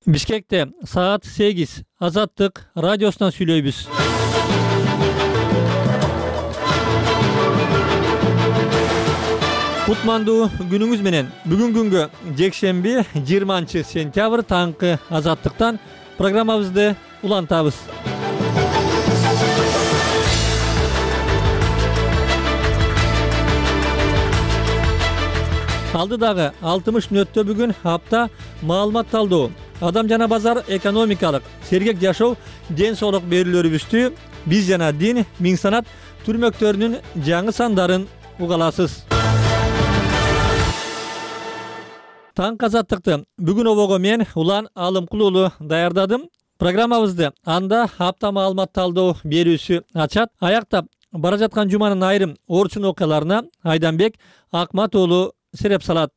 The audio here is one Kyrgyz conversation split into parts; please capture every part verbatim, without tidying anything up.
Бишкекте саат сегиз Азаттык радиосунан сүйлөйбүз. Кутмандуу күнүңүз менен. Бүгүн күнгө жекшемби жыйырманчы сентябрь таңкы Азаттыктан программабызды улантабыз. Алдыдагы алтымыш мүнөттө бүгүн апта маалымат талдоо, адам жана базар, экономикалык, сергек жашоо, ден соолук берүүлөрүбүздү биз жана дин миң санат түрмөктөрүнүн жаңы сандарын угаласыз. Таң Азаттыкты бүгүн обого мен Улан Алымкул уулу даярдадым. Программабызды анда апта маалымат талдоо берүүсү ачат. Аяктап бара жаткан жуманын айрым орчун окуяларына Айданбек Акмат уулу сереп салат.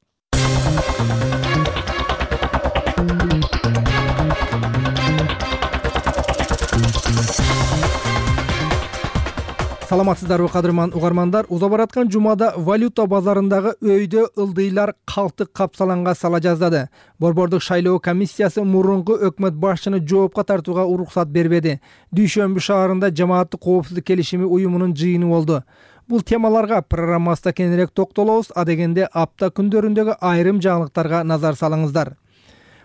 Саламатсыздарбы кадырман угармандар? Уза бараткан жумада валюта базарындагы өйдө ылдыйлар калктык капсаланга сала жаздады. Борбордук шайлоо комиссиясы мурунку өкмөт башчыны жоопко тартууга уруксат бербеди. Дүйшөмбү шаарында жамааттык коопсуздук келишими уюмунун жыйыны болду. Бул темаларга программабызда кененирээк токтолобуз. Адегенде апта күндөрүндөгү айрым жаңылыктарга назар салыңыздар.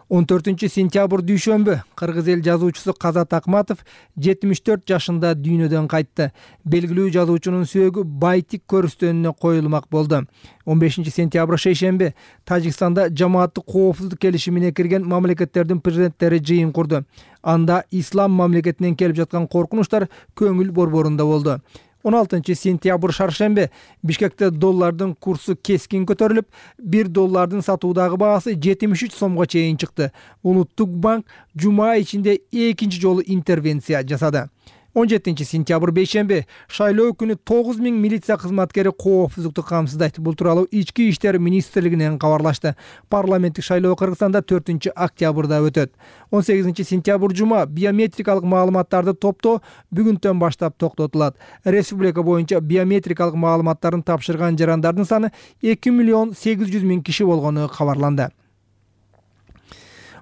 он төртүнчү сентябрь дүйшөмбү кыргыз эл жазуучусу Казат Акматов жетимиш төрт жашында дүйнөдөн кайтты. Белгилүү жазуучунун сөөгү Байтик көрүстөнүнө коюлмак болду. он бешинчи сентябрь шейшемби Тажикстанда жамааттык коопсуздук келишимине кирген мамлекеттердин президенттери жыйын курду. Анда ислам мамлекетинен келип жаткан коркунучтар көңүл борборунда болду. он алтынчы сентябрь шаршемби Бишкекте доллардын курсу кескин көтөрүлүп, бир доллардын сатуудагы баасы жетимиш үч сомго чейин чыкты. Улуттук банк жума ичинде экинчи жолу интервенция жасады. он жетинчи сентябрь бейшемби шайлоо күнү тогуз миң милиция кызматкери коопсуздукту камсыздайт. Бул тууралуу Ички иштер министрлигинен кабарлашты. Парламенттик шайлоо Кыргызстанда төртүнчү октябрда өтөт. он сегизинчи сентябрь жума биометрикалык маалыматтарды топтоо бүгүндөн баштап токтотулат. Республика боюнча биометрикалык маалыматтарын тапшырган жарандардын саны эки миллион сегиз жүз миң киши болгону кабарланды.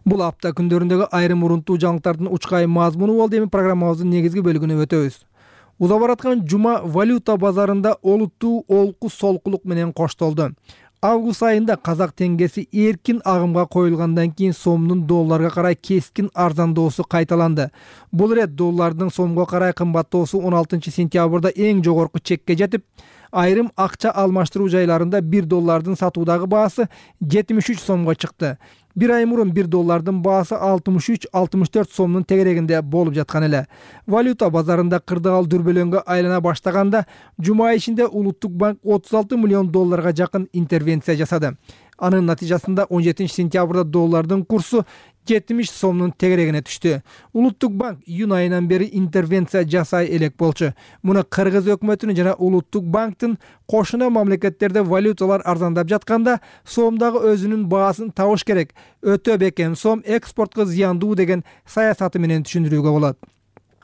Бул апта күндөрүндөгү айрым урунтуу жаңылыктардын учкай мазмуну болду. Эми программабыздын негизги бөлүгүнө өтөбүз. Уза бараткан жума валюта базарында олуттуу олку солкулук менен коштолду. Август айында казак теңгеси эркин агымга коюлгандан кийин сомдун долларга карай кескин арзандоосу кайталанды. Бул ирет доллардын сомго карай кымбаттоосу он алтынчы сентябрда эң жогорку чекке жетип, айрым акча алмаштыруу жайларында бир доллардын сатуудагы баасы жетимиш үч сомго чыкты. Бир ай мурун бир доллардын баасы алтымыш үч алтымыш төрт сомдун тегерегинде болуп жаткан эле. Валюта базарында кырдаал дүрбөлөңгө айлана баштаганда жума ичинде Улуттук банк отуз алты миллион долларга жакын интервенция жасады. Анын натыйжасында он жетинчи сентябрда доллардын курсу жетимиш сомдун тегерегине түштү. Улуттук банк июнь айынан бери интервенция жасай элек болчу. Муну Кыргыз өкмөтүнүн жана Улуттук банктын кошуна мамлекеттерде валюталар арзандап жатканда сомдагы өзүнүн баасын табыш керек. Өтө бекем сом экспортко зыяндуу деген саясаты менен түшүндүрүүгө болот.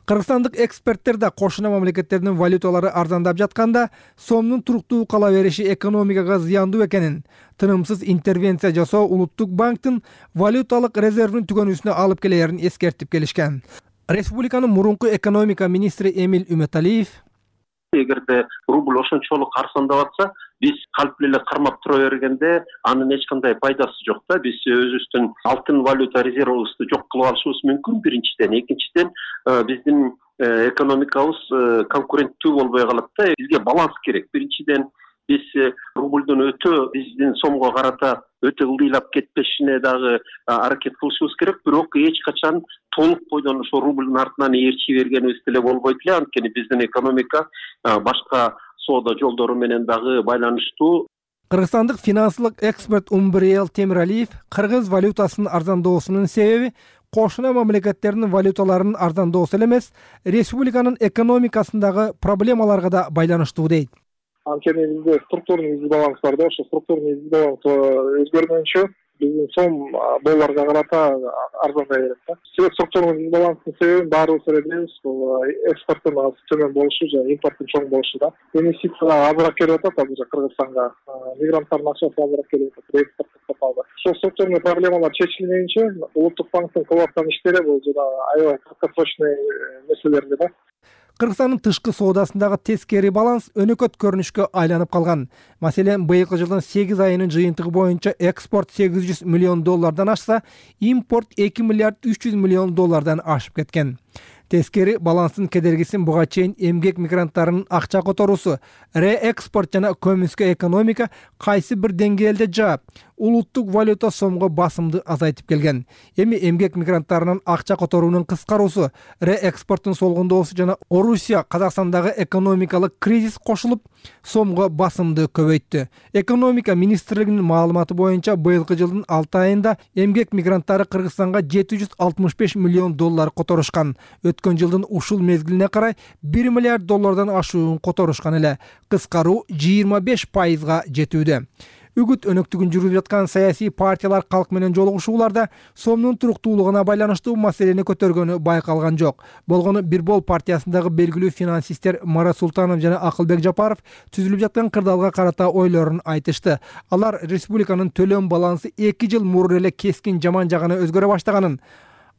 Кыргызстандык эксперттер да кошуна мамлекеттердин валюталары арзандап жатканда сомдун туруктуу кала бериши экономикага зыяндуу экенин, тынымсыз интервенция жасоо Улуттук банктын валюталык резервин түгөнүүсүнө алып келерин эскертип келишкен. Республиканын мурунку экономика министри Эмил Үмөталиев эгерде рубль ошончолук арзандап атса, биз калп эле кармап тура бергенде анын эч кандай пайдасы жок да. Биз өзүбүздүн алтын валюта резервибизди жок кылып алышыбыз мүмкүн биринчиден. Экинчиден биздин экономикабыз конкуренттүү болбой калат да. Бизге баланс керек. Биринчиден биз рубльдун өтө биздин сомго карата өтө ылдыйлап кетпешине дагы аракет кылышыбыз керек. Бирок эч качан толук бойдон ошо рубльдун артынан ээрчи бергенибиз деле болбойт эле. Анткени биздин экономика башка соода жолдору менен дагы байланыштуу. Кыргызстандык финансылык эксперт Умбриел Темиралиев кыргыз валютасынын арзандоосунун себеби кошуна мамлекеттердин валюталарынын арзандоосу эле эмес, республиканын экономикасындагы проблемаларга да байланыштуу дейт. Анткени бизде структурный дисбаланс бар да, ошо структурный дисбаланс өзгөргөнчө биздин сом долларга карата арзандай берет да. Себеп структуралык баланстын себебин баарыбыз эле билебиз, бул экспорттун төмөн болушу жана импорттун чоң болушу да. Инвестиция азыраак келип атат азыр Кыргызстанга, мигранттардын акчасы азыраак келип атат, экспорт токтоп. Ошол структурный проблемалар чечилмейинче улуттук банктын кылып аткан иштери бул жана аябай краткосрочный маселелер да. Кыргызстандын тышкы соодасындагы тескери баланс өнөкөт көрүнүшкө айланып калган. Маселен, быйылкы жылдын сегиз айынын жыйынтыгы боюнча экспорт сегиз жүз миллион доллардан ашса, импорт эки миллиард үч жүз миллион доллардан ашып кеткен. Тескери баланстын кедергисин буга чейин эмгек мигранттарынын акча которуусу, реэкспорт жана көмүскө экономика кайсы бир деңгээлде жаап, улуттук валюта сомго басымды азайтып келген. Эми эмгек мигранттарынын акча которуунун кыскаруусу, реэкспорттун солгундоосу жана Орусия Казакстандагы экономикалык кризис кошулуп, сомго басымды көбөйттү. Экономика министрлигинин маалыматы боюнча быйылкы жылдын алты айында эмгек мигранттары Кыргызстанга жети жүз алтымыш беш миллион доллар которушкан. Өткөн жылдын ушул мезгилине карай бир миллиард доллардан ашуун которушкан эле. Кыскаруу жыйырма беш пайызга жетүүдө. Үгүт өнөктүгүн жүргүзүп жаткан саясий партиялар калк менен жолугушууларда сомдун туруктуулугуна байланыштуу маселени көтөргөнү байкалган жок. Болгону Бирбол партиясындагы белгилүү финансисттер Марат Султанов жана Акылбек Жапаров түзүлүп жаткан кырдаалга карата ойлорун айтышты. Алар республиканын төлөм балансы эки жыл мурун эле кескин жаман жагына өзгөрө баштаганын,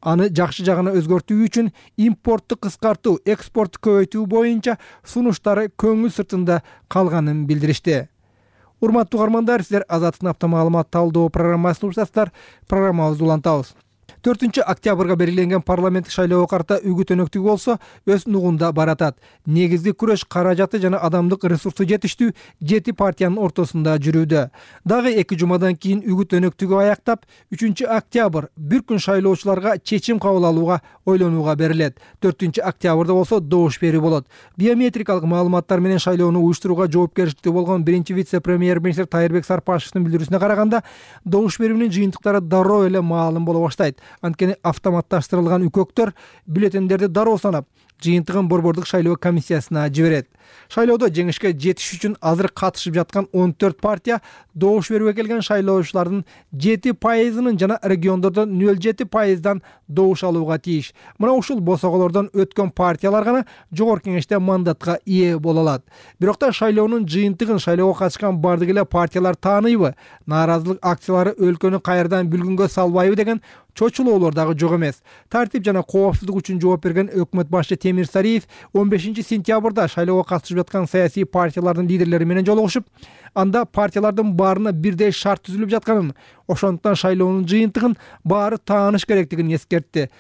аны жакшы жагына өзгөртүү үчүн импортту кыскартуу, экспортту көбөйтүү боюнча сунуштары көңүл сыртында калганын билдиришти. Урматтуу угармандар, силер Азаттык апта маалымат талдоо программасын угуп жатасыздар. Программабызды улантабыз. төртүнчү октябрга белгиленген парламенттик шайлоого карата үгүт өнөктүгү болсо өз нугунда баратат. Негизги күрөш каражаты жана адамдык ресурсу жетиштүү жети партиянын ортосунда жүрүүдө. Дагы эки жумадан кийин үгүт өнөктүгү аяктап, үчүнчү октябрь бир күн шайлоочуларга чечим кабыл алууга ойлонууга берилет. төртүнчү октябрда болсо добуш берүү болот. Биометрикалык маалыматтар менен шайлоону уюштурууга жоопкерчиликтүү болгон биринчи вице-премьер-министр Тайырбек Сарпашевдин билдирүүсүнө караганда, добуш берүүнүн жыйынтыктары дароо эле маалым боло баштайт. Анткени автоматташтырылган үкөктөр бюллетендерди дароо санап, жыйынтыгын борбордук шайлоо комиссиясына жиберет. Шайлоодо жеңишке жетиш үчүн азыр катышып жаткан он төрт партия добуш берүүгө келген шайлоочулардын жети пайызынын жана региондордон нөл жети пайыздан добуш алууга тийиш. Мына ушул босоголордон өткөн партиялар гана жогорку кеңеште мандатка ээ боло алат. Бирок да шайлоонун жыйынтыгын шайлоого катышкан бардык эле партиялар тааныйбы? Нааразылык акциялары өлкөнү кайрадан бүлгүнгө салбайбы деген чочулоолор дагы жок эмес. Тартип жана коопсуздук үчүн жооп берген өкмөт башчы Темир Сариев он бешинчи сентябрда шайлоого катышып жаткан саясий партиялардын лидерлери менен жолугушуп, анда партиялардын баарына бирдей шарт түзүлүп жатканын, ошондуктан шайлоонун жыйынтыгын баары тааныш керектигин эскертти.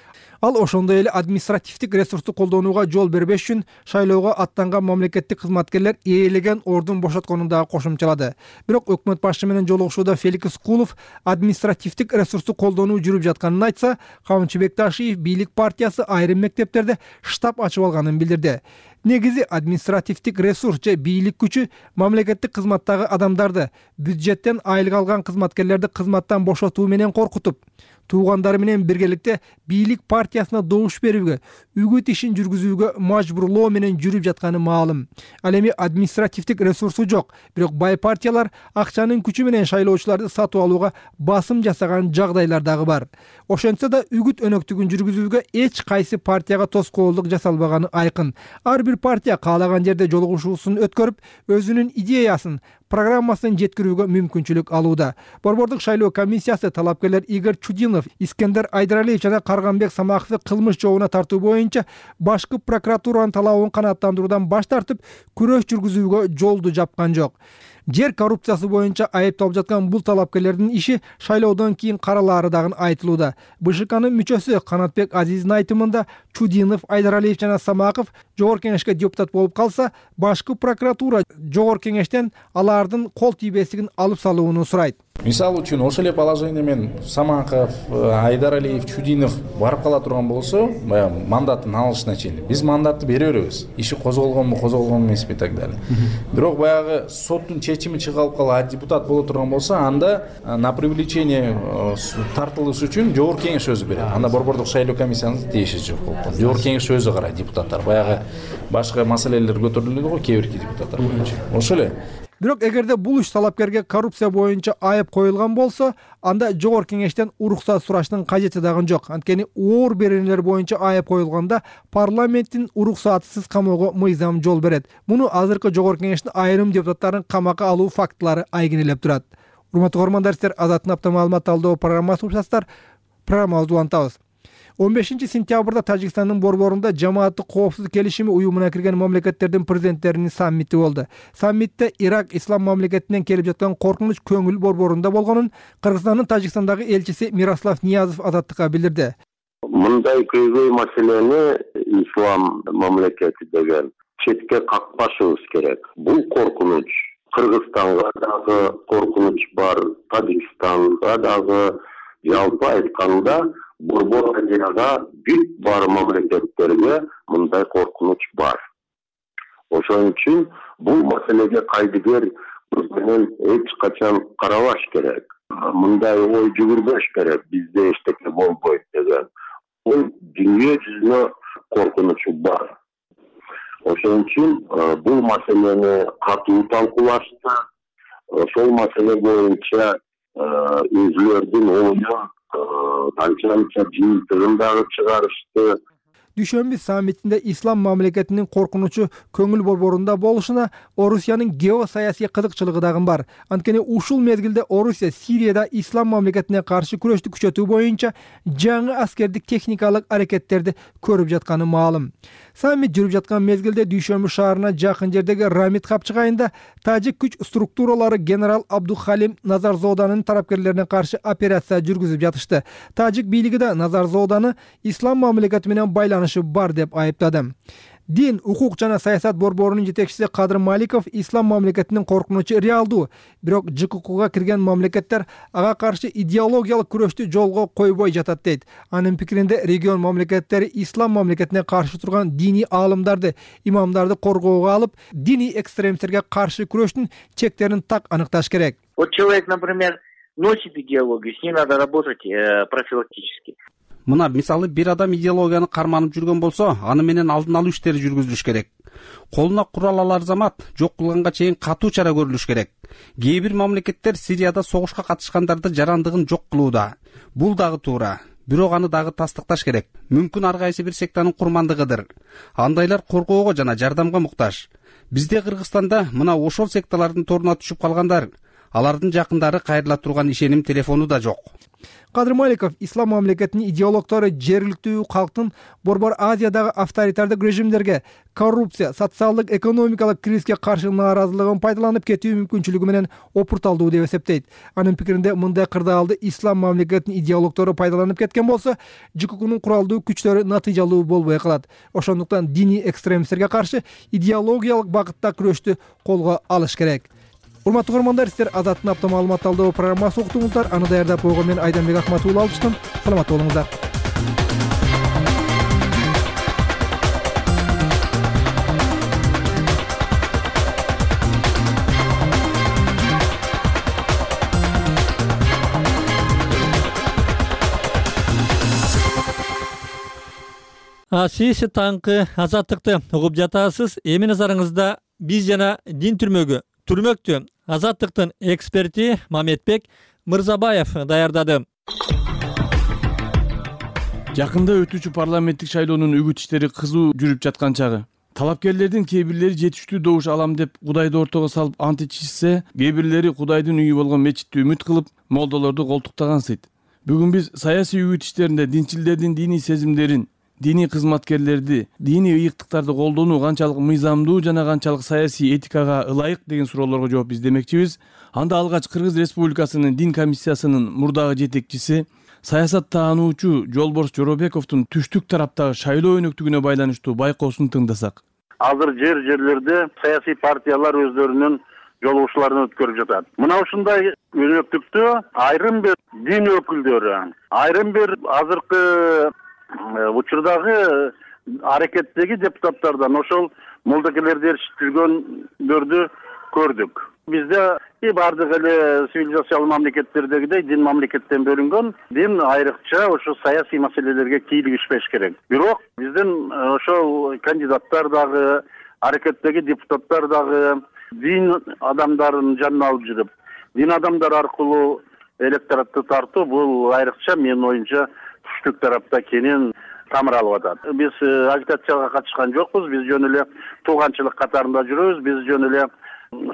Ал ошондой эле административдик ресурсту колдонууга жол бербеш үчүн шайлоого аттанган мамлекеттик кызматкерлер ээлеген ордун бошотконун дагы кошумчалады. Бирок өкмөт башчы менен жолугушууда Феликс Кулов административдик ресурсту колдонуу жүрүп жатканын айтса, Камчы Бекташиев бийлик партиясы айрым мектептерде штаб ачып алганын билдирди. Негизи административдик ресурс же бийлик күчү мамлекеттик кызматтагы адамдарды, бюджеттен айлык алган кызматкерлерди кызматтан бошотуу менен коркутуп, туугандары менен биргеликте бийлик партиясына добуш берүүгө, үгүт ишин жүргүзүүгө мажбурлоо менен жүрүп жатканы маалым. Ал эми административдик ресурсу жок, бирок бай партиялар акчанын күчү менен шайлоочуларды сатып алууга басым жасаган жагдайлар дагы бар. Ошентсе да үгүт өнөктүгүн жүргүзүүгө эч кайсы партияга тоскоолдук жасалбаганы айкын. Ар бир партия каалаган жерде жолугушуусун өткөрүп, өзүнүн идеясын, программасын жеткирүүгө мүмкүнчүлүк алууда. Борбордук шайлоо комиссиясы талапкерлер Игорь Чудинов, Искендер Айдаралиев жана Карганбек Самаковду кылмыш жообуна тартуу боюнча башкы прокуратуранын талабын канааттандыруудан баш тартып, күрөш жүргүзүүгө жолду жапкан жок. Жер коррупциясы боюнча айыпталып жаткан бул талапкерлердин иши шайлоодон кийин каралаары дагы айтылууда. БШКнын мүчөсү Канатбек Азиздин айтымында Чудинов, Айдаралиев жана Самаков жогорку кеңешке депутат болуп калса, башкы прокуратура жогорку кеңештен алардын кол тийбестигин алып салууну сурайт. Мисалы үчүн ошол эле положение менен Самаков, Айдаралиев, Чудинов барып кала турган болсо, баягы мандатын алышына чейин биз мандатты бере беребиз. Иши козголгонбу, козголгон эмеспи так далее. Бирок баягы соттун чечими чыгарып калып депутат боло турган болсо, анда на привлечение тартылыш үчүн жогорку кеңеш өзү берет. Анда борбордук шайлоо комиссиянын тиеши жок болуп. Жогорку кеңеш өзү карайт депутаттар. Баягы башка маселелер көтөрүлөт го, кээ бирки депутаттар боюнча. Ошол эле. Бирок эгерде бул иш талапкерге коррупция боюнча айып коюлган болсо, анда жогорку кеңештен уруксат сураштын кажети дагы жок. Анткени оор беренелер боюнча айып коюлганда парламенттин уруксатсыз камоого мыйзам жол берет. Муну азыркы жогорку кеңештин айрым депутаттарын камакка алуу фактылары айгинелеп турат. Урматтуу көрөрмандар, сиздер Азаттын апта маалымат талдоо программасын уктасыздар. Программабызды улантабыз. он бешинчи сентябрда Тажикстандын борборунда жамааттык коопсуздук келишими уюмуна кирген мамлекеттердин президенттеринин саммити болду. Саммитте Ирак ислам мамлекетинен келип жаткан коркунуч көңүл борборунда болгонун Кыргызстандын Тажикстандагы элчиси Мирослав Ниязов Азаттыкка билдирди. Мындай көйгөй маселени ислам мамлекети деген четке какпашыбыз керек. Бул коркунуч Кыргызстанга дагы коркунуч бар, Тажикстанга дагы, жалпы айтканда Борбор Азияга бүт бар мамлекеттерге мындай коркунуч бар. Ошон үчүн бул маселеге кайдыгер менен эч качан карабаш керек. Мындай ой жүгүрбөш керек, бизде эчтеке болбойт деген. Бул дүйнө жүзүнө коркунучу бар. Ошон үчүн бул маселени катуу талкуулашты. Ошол маселе боюнча өзүлөрдүн оюн канча-канча жыйынтыгын дагы чыгарышты. Дүйшөмбү саммитинде ислам мамлекетинин коркунучу көңүл борборунда болушуна Орусиянын геосаясий кызыкчылыгы дагы бар. Анткени ушул мезгилде Орусия Сирияда ислам мамлекетине каршы күрөштү күчөтүү боюнча жаңы аскердик техникалык аракеттерди көрүп жатканы маалым. Саммит жүрүп жаткан мезгилде Дүйшөмбү шаарына жакын жердеги Рамит капчыгайында тажик күч структуралары генерал Абдухалим Назарзоданын тарапкерлерине каршы операция жүргүзүп жатышты. Тажик бийлиги да Назарзоданы ислам мамлекети менен байланышы бар деп айыптады. Дин, укук жана саясат борборунун жетекчиси Кадыр Маликов ислам мамлекетинин коркунучу реалдуу, бирок Ж К Кга кирген мамлекеттер ага каршы идеологиялык күрөштү жолго койбой жатат дейт. Анын пикиринде регион мамлекеттери ислам мамлекетине каршы турган диний аалымдарды, имамдарды коргоого алып, диний экстремисттерге каршы күрөштүн чектерин так аныкташ керек. Вот человек, например, носит идеологию, с ней надо работать э, профилактически. Мына мисалы бир адам идеологияны карманып жүргөн болсо, аны менен алдын алуу иштери жүргүзүлүш керек. Колуна курал алар замат жок кылганга чейин катуу чара көрүлүш керек. Кээ бир мамлекеттер Сирияда согушка катышкандарды жарандыгын жок кылууда. Бул дагы туура. Бирок аны дагы тастыкташ керек. Мүмкүн ар кайсы бир сектанын курмандыгыдыр. Андайлар коргоого жана жардамга муктаж. Бизде Кыргызстанда мына ошол секталардын торуна түшүп калгандар, алардын жакындары кайрыла турган ишеним телефону да жок. Кадыр Маликов ислам мамлекетинин идеологтору жергиликтүү калктын Борбор Азиядагы авторитардык режимдерге, коррупция, социалдык экономикалык кризиске каршы нааразылыгын пайдаланып кетүү мүмкүнчүлүгү менен опурталдуу деп эсептейт. Анын пикиринде мындай кырдаалды ислам мамлекетинин идеологтору пайдаланып кеткен болсо, Ж К Кнын куралдуу күчтөрү натыйжалуу болбой калат. Ошондуктан диний экстремисттерге каршы идеологиялык багытта күрөштү колго алыш керек. Урматтуу көрөрмандар, сиздер Азаттын апта маалымат талдоо программасын уктуңуздар. Аны даярдап койгон мен Айданбек Акматов уулу алыштым. Саламатта болуңуздар. Сиз таңкы Азаттыкты угуп жатасыз. Эми назарыңызда биз жана дин түрмөгү Түрмөктү Азаттыктын эксперти Мамедбек Мырзабаев даярдады. Жакында өтүүчү парламенттик шайлоонун үгүт иштери кызуу жүрүп жаткан чагы. Талапкерлердин кээ бирлери жетиштүү добуш алам деп Кудайды ортого салып ант ичишсе, кээ бирлери Кудайдын үйү болгон мечитти үмүт кылып, молдолорду колтуктагансыйт. Бүгүн биз саясий үгүт иштеринде динчилдердин диний сезимдерин, диний кызматкерлерди, диний ыйыктыктарды колдонуу канчалык мыйзамдуу жана канчалык саясий этикага ылайык деген суроолорго жооп издемекчибиз. Анда алгач Кыргыз Республикасынын дин комиссиясынын мурдагы жетекчиси, саясат таануучу Жолборс Жоробековдун түштүк тараптагы шайлоо өнөктүгүнө байланыштуу байкоосун тыңдасак. Азыр жер жерлерде саясий партиялар өздөрүнүн жолугушууларын өткөрүп жатат. Мына ушундай өнөктүктү айрым бир дин өкүлдөрү, айрым бир азыркы учурдагы аракеттеги депутаттардан ошол молдокелерди эрiştirгөндөрдү көрдүк. Бизде и бардык эле цивилизациялык мамлекеттердегидей дин мамлекеттен бөлүнгөн, дин айрыкча ошо саясий маселелерге кийлигишпеш керек. Бирок биздин ошол кандидаттар дагы, аракеттеги депутаттар дагы дин адамдарын жанына алып жүрүп, дин адамдар аркылуу электоратты тартуу бул айрыкча менин оюмча түштүк тарапта кенен тамыр алып атат. Биз агитацияга катышкан жокпуз, биз жөн эле тууганчылык катарында жүрөбүз, биз жөн эле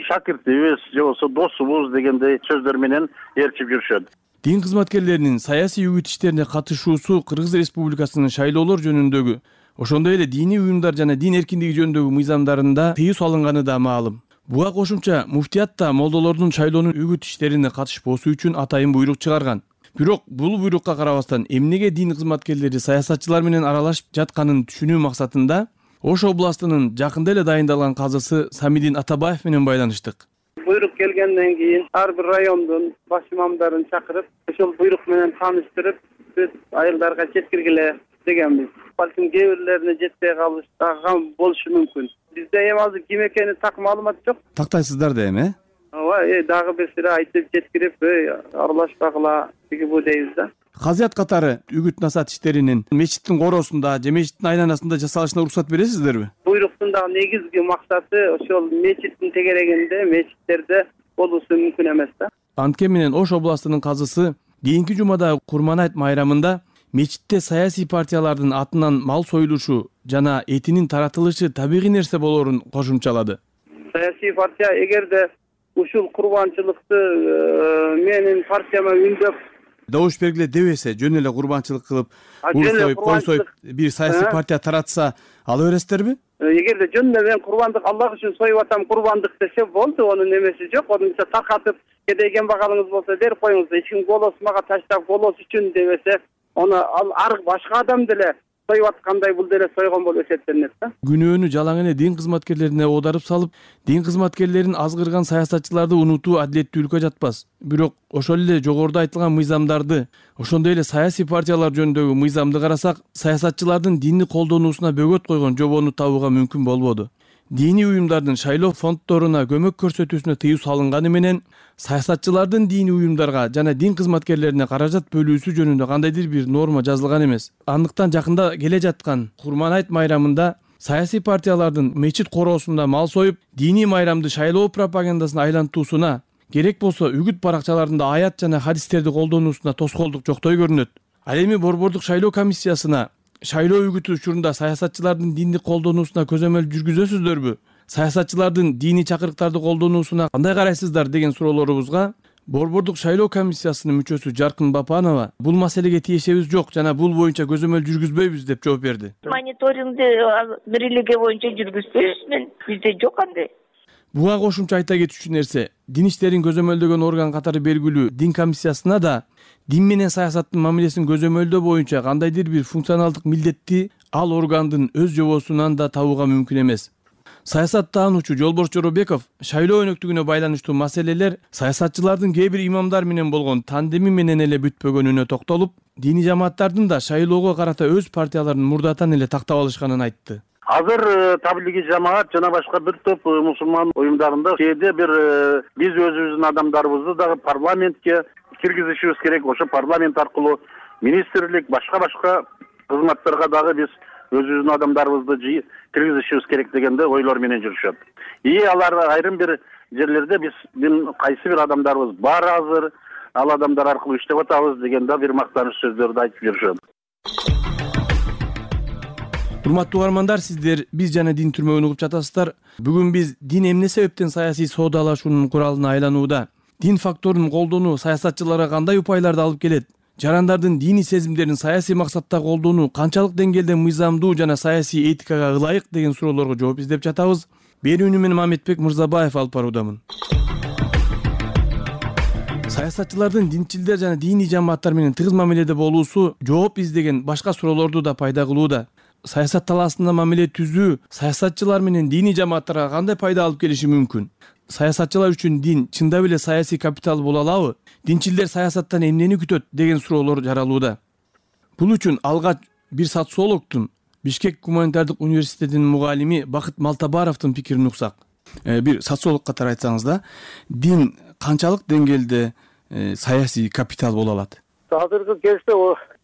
шакиртибиз же болбосо досубуз дегендей сөздөр менен ээрчип жүрүшөт. Дин кызматкерлеринин саясий үгүт иштерине катышуусу Кыргыз Республикасынын шайлоолор жөнүндөгү, ошондой эле диний уюмдар жана дин эркиндиги жөнүндөгү мыйзамдарында тыюу салынганы да маалым. Буга кошумча муфтият да молдолордун шайлоонун үгүт иштерине катышпоосу үчүн атайын буйрук чыгарган. Бирок бул буйрукка карабастан эмнеге дин кызматкерлери саясатчылар менен аралашып жатканын түшүнүү максатында Ош областынын жакында эле дайындалган казысы Самидин Атабаев менен байланыштык. Буйрук келгенден кийин ар бир райондун баш имамдарын чакырып, ошол буйрук менен тааныштырып, биз айылдарга жеткиргиле дегенбиз. Балким кээ бирлерине жетпей калышкан болушу мүмкүн. Бизде эми азыр ким экени так маалымат жок. Тактайсыздар да эми, э? Ооба, э дагы бир сыйра айтып жеткирип, аралашпагыла дегибу дейбиз да. Казыят катары үгүт насаат иштеринин мечиттин коросунда же мечиттин айланасында жасалышына уруксат бересиздерби? Буйруктун дагы негизги максаты ошол мечиттин тегерегинде, мечиттерде болуусу мүмкүн эмес да. Анткени менен Ош областынын казысы кийинки жумада Курманайт майрамында мечитте саясий партиялардын атынан мал союлушу жана этинин таратылышы табигый нерсе болоорун кошумчалады. Саясий партия эгерде ушул курбанчылыкты менин партияма үндөп добуш бергиле дебесе, жөн эле курбанчылык кылып, ур союп, кой союп бир саясий партия таратса, ала бересиздерби? Эгерде жөн эле мен курбандык Аллах үчүн союп атам, курбандык десе болду, анын эмеси жок. Онунча таркатып, кедей кембагалыңыз болсо берип коюңуз, эч ким голос мага таштап голос үчүн дебесе, аны ал ар башка адам деле союп аткандай бул деле сойгон болуп эсептелинет да. Күнөөнү жалаң эле дин кызматкерлерине оодарып салып, дин кызматкерлерин азгырган саясатчыларды унутуу адилеттүүлүккө жатпас. Бирок ошол эле жогоруда айтылган мыйзамдарды, ошондой эле саясий партиялар жөнүндөгү мыйзамды карасак, саясатчылардын динни колдонуусуна бөгөт койгон жобону табууга мүмкүн болбоду. Диний уюмдардын шайлоо фонддоруна көмөк көрсөтүүсүнө тыюу салынганы менен саясатчылардын диний уюмдарга жана дин кызматкерлерине каражат бөлүүсү жөнүндө кандайдыр бир норма жазылган эмес. Андыктан жакында келе жаткан Курманайт майрамында саясий партиялардын мечит короосунда мал союп, диний майрамды шайлоо пропагандасына айлантуусуна, керек болсо үгүт баракчаларында аят жана хадистерди колдонуусуна тоскоолдук жоктой көрүнөт. Ал эми борбордук шайлоо комиссиясына шайлоо үгүтү учурунда саясатчылардын динди колдонуусуна көзөмөл жүргүзөсүздөрбү? Саясатчылардын диний чакырыктарды колдонуусуна кандай карайсыздар деген суроолорубузга борбордук шайлоо комиссиясынын мүчөсү Жаркын Бапанова бул маселеге тиешебиз жок жана бул боюнча көзөмөл жүргүзбөйбүз деп жооп берди. Мониторингди бирилиги боюнча жүргүзбөйбүз, мен бизде жок андай. Буга кошумча айта кетүүчү нерсе, дин иштерин көзөмөлдөгөн орган катары белгилүү дин комиссиясына да дин менен саясаттын мамилесин көзөмөлдөө боюнча кандайдыр бир функционалдык милдетти ал органдын өз жобосунан да табууга мүмкүн эмес. Саясаттаануучу Жолборс Жоробеков шайлоо өнөктүгүнө байланыштуу маселелер саясатчылардын кээ бир имамдар менен болгон тандеми менен эле бүтпөгөнүнө токтолуп, диний жамааттардын да шайлоого карата өз партияларын мурдатан эле тактап алышканын айтты. Азыр таблиги жамаат жана башка бир топ мусулман уюмдарында кээде бир биз өзүбүздүн адамдарыбызды дагы парламентке киргизишибиз керек. Ошо парламент аркылуу министрлик, башка башка кызматтарга дагы биз өзүбүздүн адамдарыбызды киргизишибиз керек дегенде ойлор менен жүрүшөт. И алар айрым бир жерлерде биздин кайсы бир адамдарыбыз бар азыр, ал адамдар аркылуу иштеп атабыз дегенде бир мактаныч сөздөрдү айтып жүрүшөт. Урматтуу угармандар, сиздер биз жана дин түрмөгүн угуп жатасыздар. Бүгүн биз дин эмне себептен саясий соодалашуунун куралына айланууда, дин факторунун колдонуу саясатчыларга кандай упайларды алып келет, жарандардын диний сезимдерин саясий максатта колдонуу канчалык деңгээлде мыйзамдуу жана саясий этикага ылайык деген суроолорго жооп издеп жатабыз. Берүүнү мен Мамедбек Мырзабаев алып баруудамын. Саясатчылардын динчилдер жана диний жамааттар менен тыгыз мамиледе болуусу жооп издеген башка суроолорду да пайда кылууда. Саясат талаасында мамиле түзүү саясатчылар менен диний жамааттарга кандай пайда алып келиши мүмкүн? Саясатчылар үчүн дин чындап эле саясий капитал боло алабы? Динчилдер саясаттан эмнени күтөт деген суроолор жаралууда. Бул үчүн алгач бир социологдун, Бишкек гуманитардык университетинин мугалими Бакыт Малтабаровдун пикирин уксак. Э, бир социолог катары айтсаңыз да, дин канчалык деңгээлде э, саясий капитал боло алат? Азыркы кезде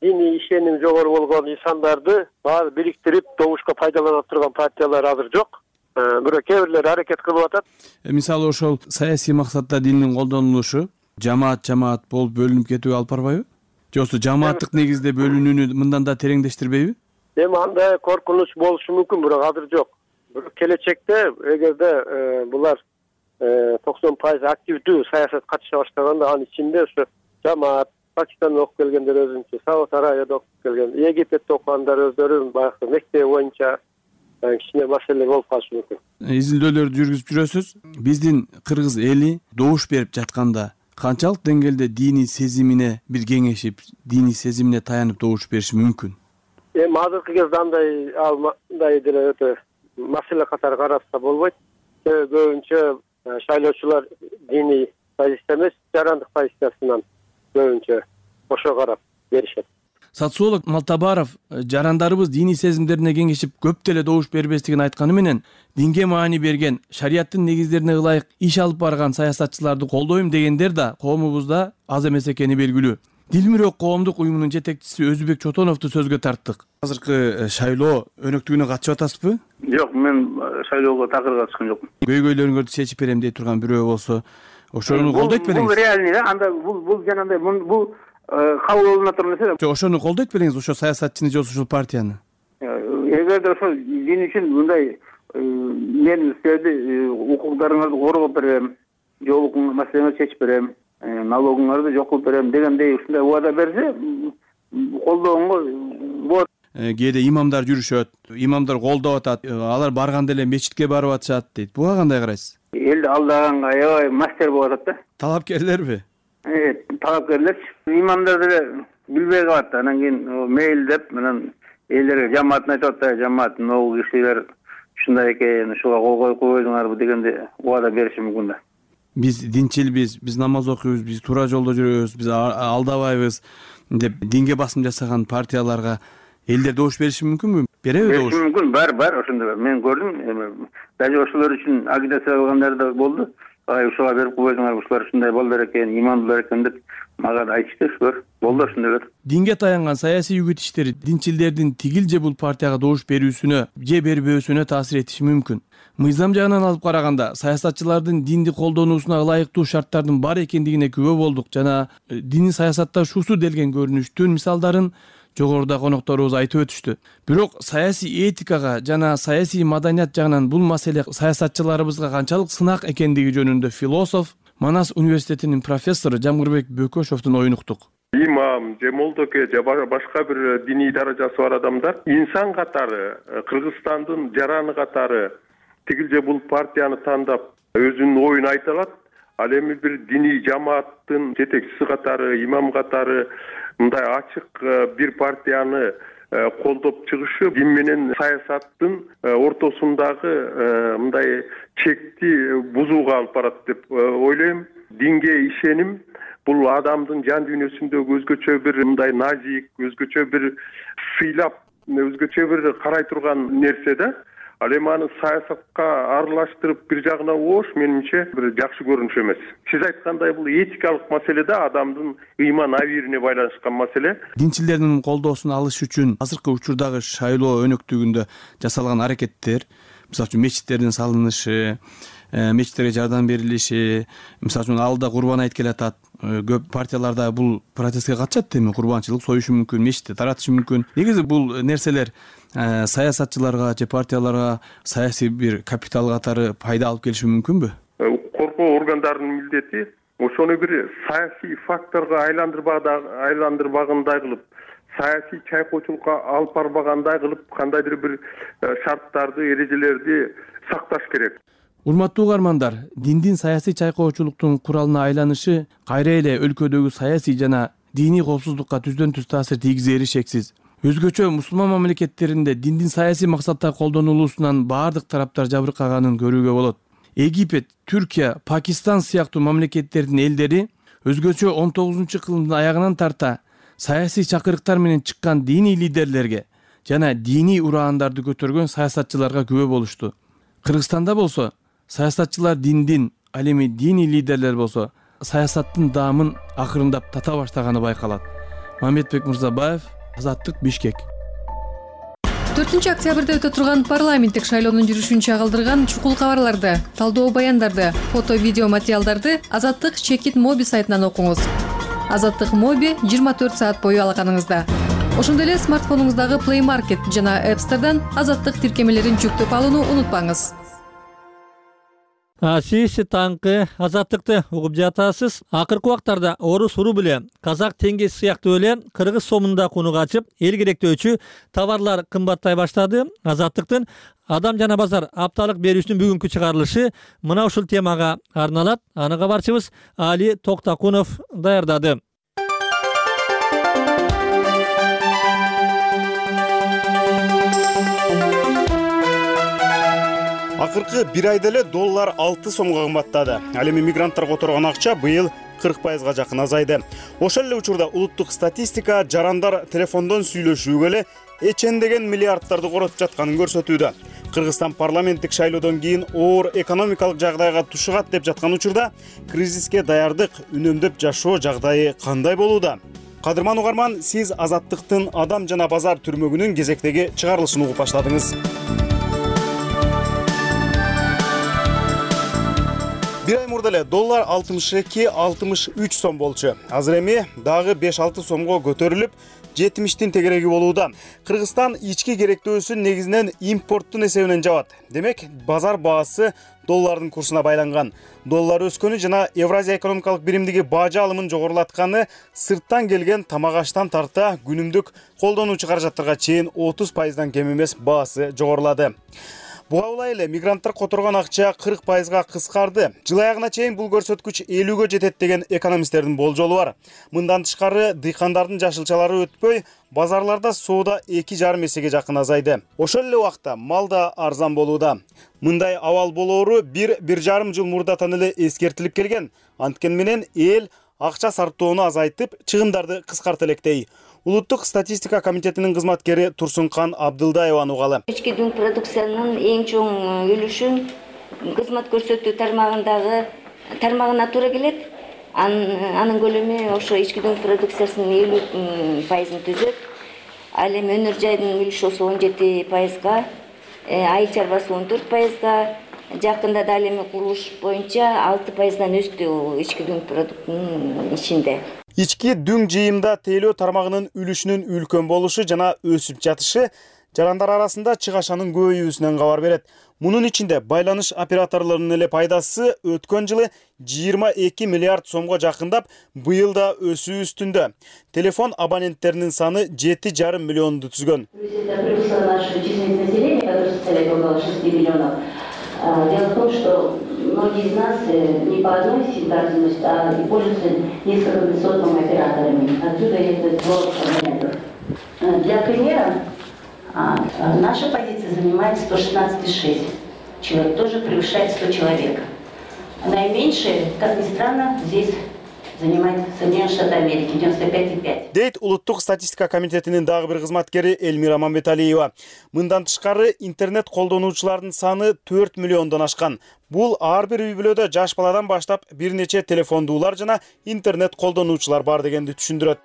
диний ишеним жогору болгон инсандарды баары бириктирип добушка пайдалана турган партиялар азыр жок. бирок кээ бирлери аракет кылып атат. Мисалы ошол саясий максатта диндин колдонулушу жамаат жамаат болуп бөлүнүп кетүүгө алып барбайбы? Же болбосо жамааттык негизде бөлүнүүнү мындан да тереңдештирбейби? Эми андай коркунуч болушу мүмкүн, бирок азыр жок. Бирок келечекте эгерде булар токсон пайыз активдүү саясат катыша баштаганда, анын ичинде ошо жамаат, Пакистандан окуп келгендер өзүнчө, Сауд Арабияда окуп келген, Египетте окугандар өздөрүнүн баягы мектеби боюнча кичине маселе болуп калышы мүмкүн. Изилдөөлөрдү жүргүзүп жүрөсүз. Биздин кыргыз эли добуш берип жатканда канчалык деңгээлде диний сезимине бир кеңешип, диний сезимине таянып добуш бериши мүмкүн? Эми азыркы кезде андай андай деле өтө маселе катары караса болбойт. Көбүнчө шайлоочулар диний позиция эмес, жарандык позициясынан көбүнчө ошо карап беришет. Социолог Малтабаров жарандарыбыз диний сезимдерине кеңешип көп деле добуш бербестигин айтканы менен, динге маани берген, шариаттын негиздерине ылайык иш алып барган саясатчыларды колдойм дегендер да коомубузда аз эмес экени белгилүү. Дилмирөк коомдук уюмунун жетекчиси Өзбек Чотоновду сөзгө тарттык. Азыркы шайлоо өнөктүгүнө катышып атасызбы? Жок, мен шайлоого такыр катышкан жокмун. Көйгөйлөрүңөрдү чечип берем дей турган бирөө болсо, ошону колдойт белеңиз? Бул реальный да, анда бул бул жанагындай бул кабыл болуна турган нерсе. Жок, ошону колдойт белеңиз, ошо саясатчыны же ошол партияны? Эгерде ошо дин үчүн мындай мен силерди укуктарыңарды коргоп берем, жол маселеңерди чечип берем, налогуңарды жок кылып берем дегендей ушундай убада берсе, колдооңго болот. Кээде имамдар жүрүшөт, имамдар колдоп атат, алар барганда эле мечитке барып атышат дейт. Буга кандай карайсыз? Элди алдаганга аябай мастер болуп атат да. Талапкерлерби? Э, талапкерлер. Имамдар деле билбей калат, анан кийин мейлдеп менен элдерге жамаатын айтып атат, жамаат могу кишилер ушундай экен, ушуга кол коюп койдуңарбы дегенде убада бериши мүмкүн да. Биз динчилбиз, биз намаз окуйбуз, биз туура жолдо жүрөбүз, биз алдабайбыз деп динге басым жасаган партияларга элдер добуш бериши мүмкүнбү? Береби добуш? Мүмкүн, бар, бар, ошондой. Мен көрдүм, даже ошолор үчүн агитация кылгандар да болду. Ай, ушуга берип койдуңар, ушулар ушундай балдар экен, имамдылар экен деп мага айтышты, ушулар. Болду ошондойлор. Динге таянган саясий үгүт иштери динчилдердин тигил же бул партияга добуш берүүсүнө же бербөөсүнө таасир этиши мүмкүн. Мыйзам жагынан алып караганда, саясатчылардын динди колдонуусуна ылайыктуу шарттардын бар экендигине күбө болдук жана диний саясатташуусу делген көрүнүштүн мисалдарын жогоруда конокторубуз айтып өтүштү. Бирок саясий этикага жана саясий маданият жагынан бул маселе саясатчыларыбызга канчалык сынак экендиги жөнүндө философ, Манас университетинин профессору Жамгырбек Бөкөшовдун оюн уктук. Имам же молдоке же башка бир диний даражасы бар адамдар инсан катары, Кыргызстандын жараны катары тигил же бул партияны тандап өзүнүн оюн айта алат. Ал эми бир диний жамааттын жетекчиси катары, имам катары мындай ачык бир партияны колдоп чыгышы дин менен саясаттын ортосундагы мындай чекти бузууга алып барат деп ойлойм. Динге ишеним бул адамдын жан дүйнөсүндөгү өзгөчө бир мындай назик, өзгөчө бир сыйлап, өзгөчө бир карай турган нерсе да. Ал эми аны саясатка аралаштырып бир жагына оош менимче бир жакшы көрүнүш эмес. Сиз айткандай бул этикалык маселе да, адамдын ыйман абийирине байланышкан маселе. Динчилердин колдоосун алыш үчүн азыркы учурдагы шайлоо өнөктүгүндө жасалган аракеттер, мисалы үчүн мечиттердин салынышы, мечиттерге жардам берилиши, мисалы үчүн алда Курбан айт келатат. Көп партияларда бул протестке катышат, эми курбанчылык союшу мүмкүн, мечитти таратышы мүмкүн. Негизи бул нерселер саясатчыларга же партияларга саясий бир капитал катары пайда алып келиши мүмкүнбү? Коркоо органдарынын милдети ошону бир саясий факторго айландырбагандай кылып, саясий чайкоочулукка алып барбагандай кылып, кандайдыр бир шарттарды, эрежелерди сакташ керек. Урматтуу угармандар, диндин саясий чайкоочулуктун куралына айланышы кайра эле өлкөдөгү саясий жана диний коопсуздукка түздөн түз таасир тийгизери шексиз. Өзгөчө мусулман мамлекеттеринде диндин саясий максатта колдонулуусунан баардык тараптар жабыркаганын көрүүгө болот. Египет, Түркия, Пакистан сыяктуу мамлекеттердин элдери өзгөчө он тогузунчу кылымдын аягынан тарта саясий чакырыктар менен чыккан диний лидерлерге жана диний ураандарды көтөргөн саясатчыларга күбө болушту. Кыргызстанда болсо саясатчылар диндин, ал эми диний лидерлер болсо саясаттын даамын акырындап тата баштаганы байкалат. Мамедбек Мырзабаев, Азаттык, Бишкек. төртүнчү октябрда өтө турган парламенттик шайлоонун жүрүшүн чагылдырган чукул кабарларды, талдоо баяндарды, фото видео материалдарды Азаттык Чекит Моби сайтынан окуңуз. Азаттык Моби жыйырма төрт саат бою алаканыңызда. Ошондой эле смартфонуңуздагы Play Market жана App Store'дан Азаттык тиркемелерин жүктөп алууну унутпаңыз. Сиз таңкы Азаттыкты угуп жатасыз. Акыркы убактарда орус рубле, казак теңгеси сыяктуу эле кыргыз сомунда куну качып, эл керектөөчү товарлар кымбаттай баштады. Азаттыктын Адам жана базар апталык берүүсүнүн бүгүнкү чыгарылышы мына ушул темага арналат. Аны кабарчыбыз Али Токтакунов даярдады. Акыркы бир айда эле доллар алты сомго кымбаттады. Ал эми мигранттар которгон акча быйыл кырк пайызга жакын азайды. Ошол эле учурда улуттук статистика жарандар телефондон сүйлөшүүгө эле эчендеген миллиардтарды коротуп жатканын көрсөтүүдө. Кыргызстан парламенттик шайлоодон кийин оор экономикалык жагдайга тушугат деп жаткан учурда кризиске даярдык, үнөмдөп жашоо жагдайы кандай болууда? Кадырман угарман, сиз Азаттыктын Адам жана базар түрмөгүнүн кезектеги чыгарылышын угуп баштадыңыз. Бир ай мурда эле доллар алтымыш эки алтымыш үч сом болчу. Азыр эми дагы беш алты сомго көтөрүлүп, жетимиштин тегереги болууда. Кыргызстан ички керектөөсүн негизинен импорттун эсебинен жабат. Демек, базар баасы доллардын курсуна байланган. Доллар өскөнү жана Евразия экономикалык биримдиги бажы алымын жогорулатканы сырттан келген тамак аштан тарта күнүмдүк колдонуучу каражаттарга чейин отуз пайыздан кем эмес баасы жогорулады. Буга улай эле мигранттар которгон акча кырк пайызга кыскарды. Жыл аягына чейин бул көрсөткүч элүүгө жетет деген экономисттердин болжолу бар. Мындан тышкары дыйкандардын жашылчалары өтпөй, базарларда соода эки жарым эсеге жакын азайды. Ошол эле убакта мал да арзан болууда. Мындай абал болоору бир бир жарым жыл мурдатан эле эскертилип келген. Анткени менен эл акча сарптоону азайтып, чыгымдарды кыскарта электей. Улуттук статистика комитетинин кызматкери Турсункан Абдылдаеваны угалы. Ички дүң продукциянын эң чоң үлүшүн кызмат көрсөтүү тармагындагы тармагына туура келет. Анын көлөмү ошо ички дүң продукциясынын элүү пайызын түзөт. Ал эми өнөр жайдын үлүшү он жети пайызга, айыл чарбасы он төрт пайызга, жакында да ал эми курулуш боюнча алты пайыздан өстү ички дүң продуктунун ичинде. Ички дүң жыйымда тейлөө тармагынын үлүшүнүн үлкөн болушу жана өсүп жатышы жарандар арасында чыгашанын көбөйүүсүнөн кабар берет. Мунун ичинде байланыш операторлорунун эле пайдасы өткөн жылы жыйырма эки миллиард сомго жакындап, быйыл да өсүү үстүндө. Телефон абоненттеринин саны жети жарым миллионду түзгөн. Дело в том, что многие из нас не по одной сим-карте, а пользуются несколькими сотнями операторами. Отсюда этот рост абонентов. Для примера, наша позиция занимает сто шестнадцать и шесть человек, тоже превышает сто человек. Наименьшее, как ни странно, здесь занимает Соединенные Штаты Америки, девяносто пять и пять. Дейт улуттук статистика комитетинин дагы бир кызматкери Эльмира Мамбеталиева. Мындан тышкары интернет колдонуучулардын саны төрт миллиондон ашкан. Бул ар бир үй бүлөдө жаш баладан баштап бир нече телефондуулар жана интернет колдонуучулар бар дегенди түшүндүрөт.